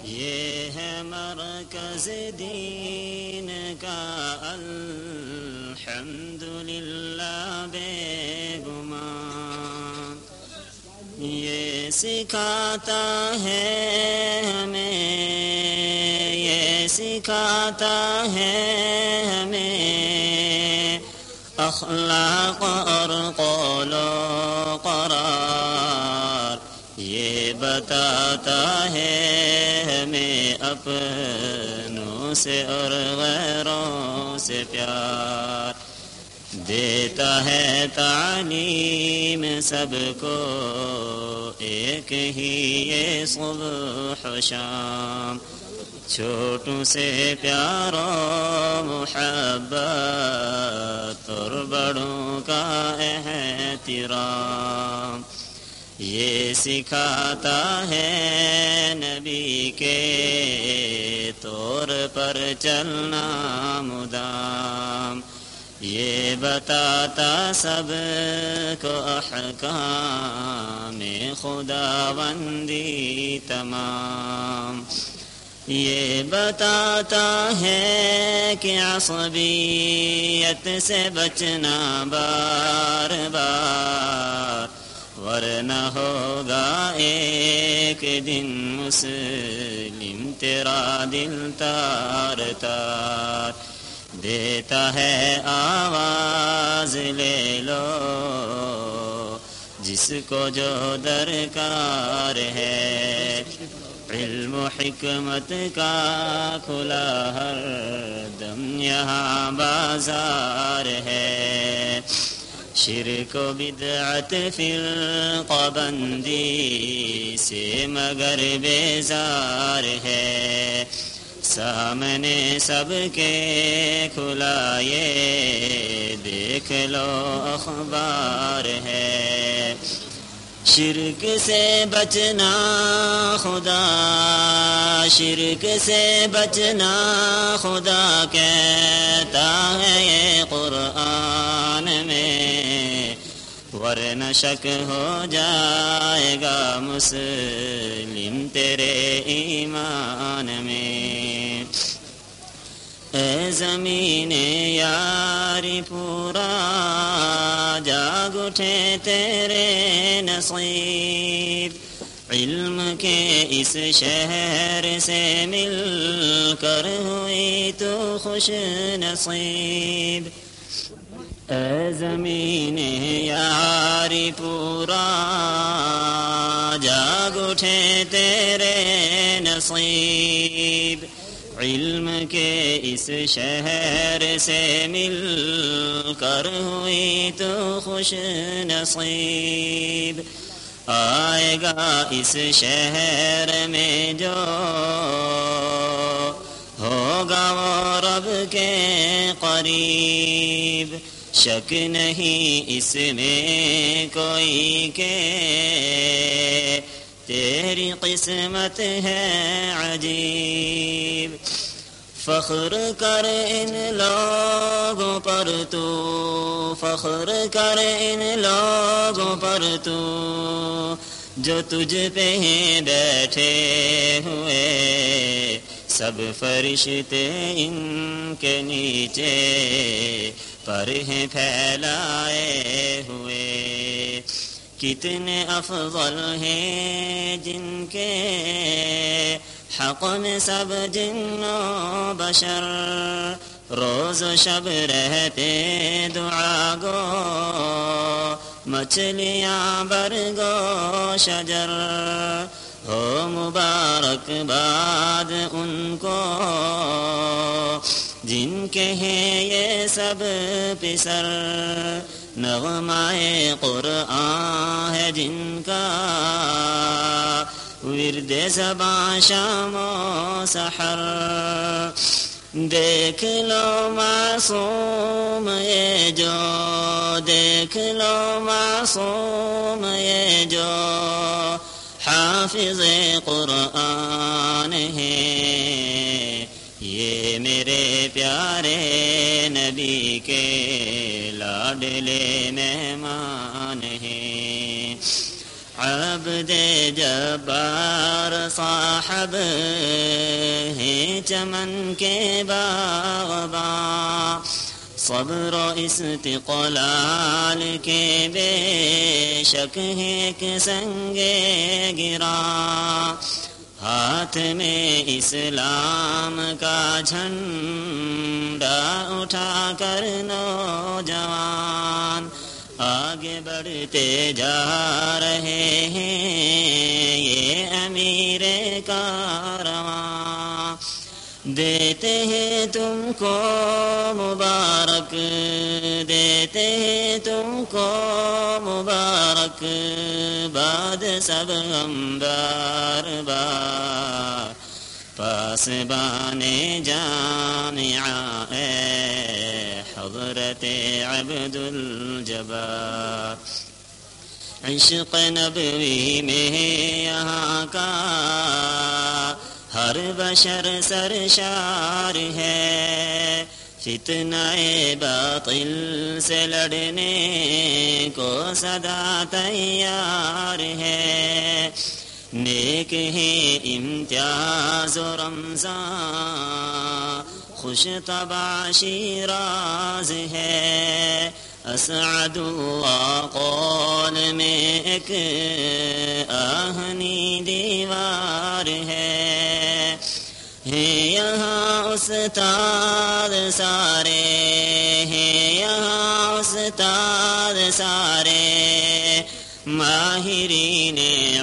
یہ ہے مرکز دین کا الحمدللہ بے گمان۔ یہ سکھاتا ہے ہمیں، یہ سکھاتا ہے ہمیں اخلاق اور قول و قرار۔ یہ بتاتا ہے ہمیں اپنوں سے اور غیروں سے پیار۔ دیتا ہے تعلیم سب کو ایک ہی یہ صبح و شام، چھوٹوں سے پیار و محبت اور بڑوں کا احترام۔ یہ سکھاتا ہے نبی کے طور پر چلنا مدام، یہ بتاتا سب کو احکام خداوندی تمام۔ یہ بتاتا ہے کہ عصبیت سے بچنا بار بار، ورنہ ہوگا ایک دن مسلم تیرا دل تار تار۔ دیتا ہے آواز، لے لو جس کو جو درکار ہے۔ علم و حکمت کا کھلا ہر دم یہاں بازار ہے۔ شرک و بدعت، فرقہ بندی سے مگر بیزار ہے۔ سامنے سب کے کھلا یہ دیکھ لو اخبار ہے۔ شرک سے بچنا خدا، شرک سے بچنا خدا کہتا ہے یہ قرآن میں، ورنہ شک ہو جائے گا مسلم تیرے ایمان میں۔ اے زمین یاری پورا، جاگ اٹھے تیرے نصیب۔ کہ اس شہر سے مل کر ہوئی تو خوش نصیب۔ اے زمین یاری پورا، جاگ اٹھے تیرے نصیب۔ علم کے اس شہر سے مل کر ہوئی تو خوش نصیب۔ آئے گا اس شہر میں جو، ہوگا وہ رب کے قریب۔ شک نہیں اس میں کوئی کہ تیری قسمت ہے عجیب۔ فخر کر ان لوگوں پر تو، فخر کر ان لوگوں پر تو، جو تجھ پہ ہیں بیٹھے ہوئے۔ سب فرشتے ان کے نیچے پر ہیں پھیلائے ہوئے۔ کتنے افضل ہیں جن کے حق میں سب جن و بشر، روز و شب رہتے دعا گو، مچھلیاں برگ و شجر۔ ہو مبارک باد ان کو جن کے ہیں یہ سب پسر۔ نغمہ قرآن ہے جن کا ورد زباں شام و سحر۔ دیکھ لو معصوم یہ جو، دیکھ لو معصوم یہ جو حافظ قرآن ہے۔ یہ میرے پیارے نبی کے لاڈلے مہمان ہیں۔ عبد جبار صاحب ہیں چمن کے باغباں، صبر و استقلال کے بے شک ہیں ایک سنگ گراں۔ ہاتھ میں اسلام کا جھنڈا اٹھا کر نوجوان آگے بڑھتے جا رہے ہیں، یہ امیر کارواں۔ دیتے ہیں تم کو مبارک، دیتے ہیں تم کو مبارک، بعد سب ہم بار بار۔ پاسبان جامعہ اے حضرت عبدالجبار۔ عشق نبوی میں یہاں کا ہر بشر سرشار ہے، فتنہ باطل سے لڑنے کو سدا تیار ہے۔ نیک ہے امتیاز و رمضان، خوش طبع شیراز ہے۔ اسعد اللہ قول میں ایک آہنی دیوار ہے۔ ہیں یہاں استاد سارے، ہیں یہاں استاد سارے، ماہرین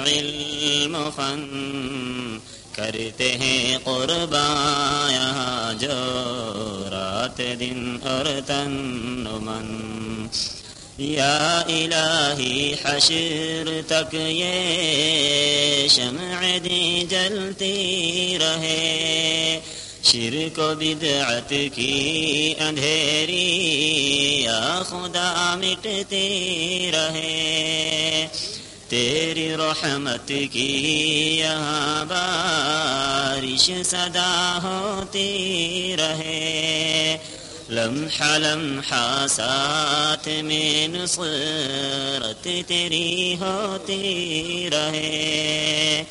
علم و فن۔ کرتے ہیں قرباں یہاں جو رات دن اور تن و من۔ یا الٰہی حشر تک یہ شمع دیں جلتی رہے، شرک و بدعت کی اندھیری یا خدا مٹتی رہے۔ تیری رحمت کی یہاں بارش سدا ہوتی رہے، لمحہ لمحہ ساتھ میں نصرت تیری ہوتی رہے۔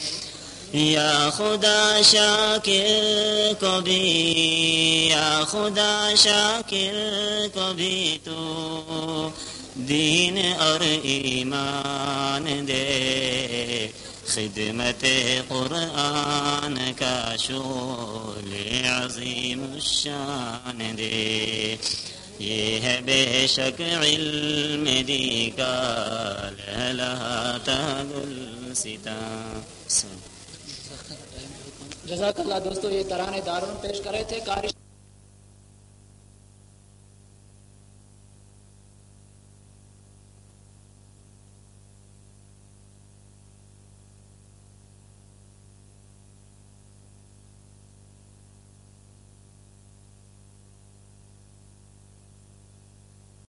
یا خدا شاکر کو بھی، یا خدا شاکر کو بھی تو دین اور ایمان دے، خدمت قرآن کا شغل عظیم الشان دے، یہ ہے بے شک علم دی کا لہلہاتا گلستان۔ جزاک اللہ۔ دوستو، یہ ترانے دارون پیش کرے تھے قاری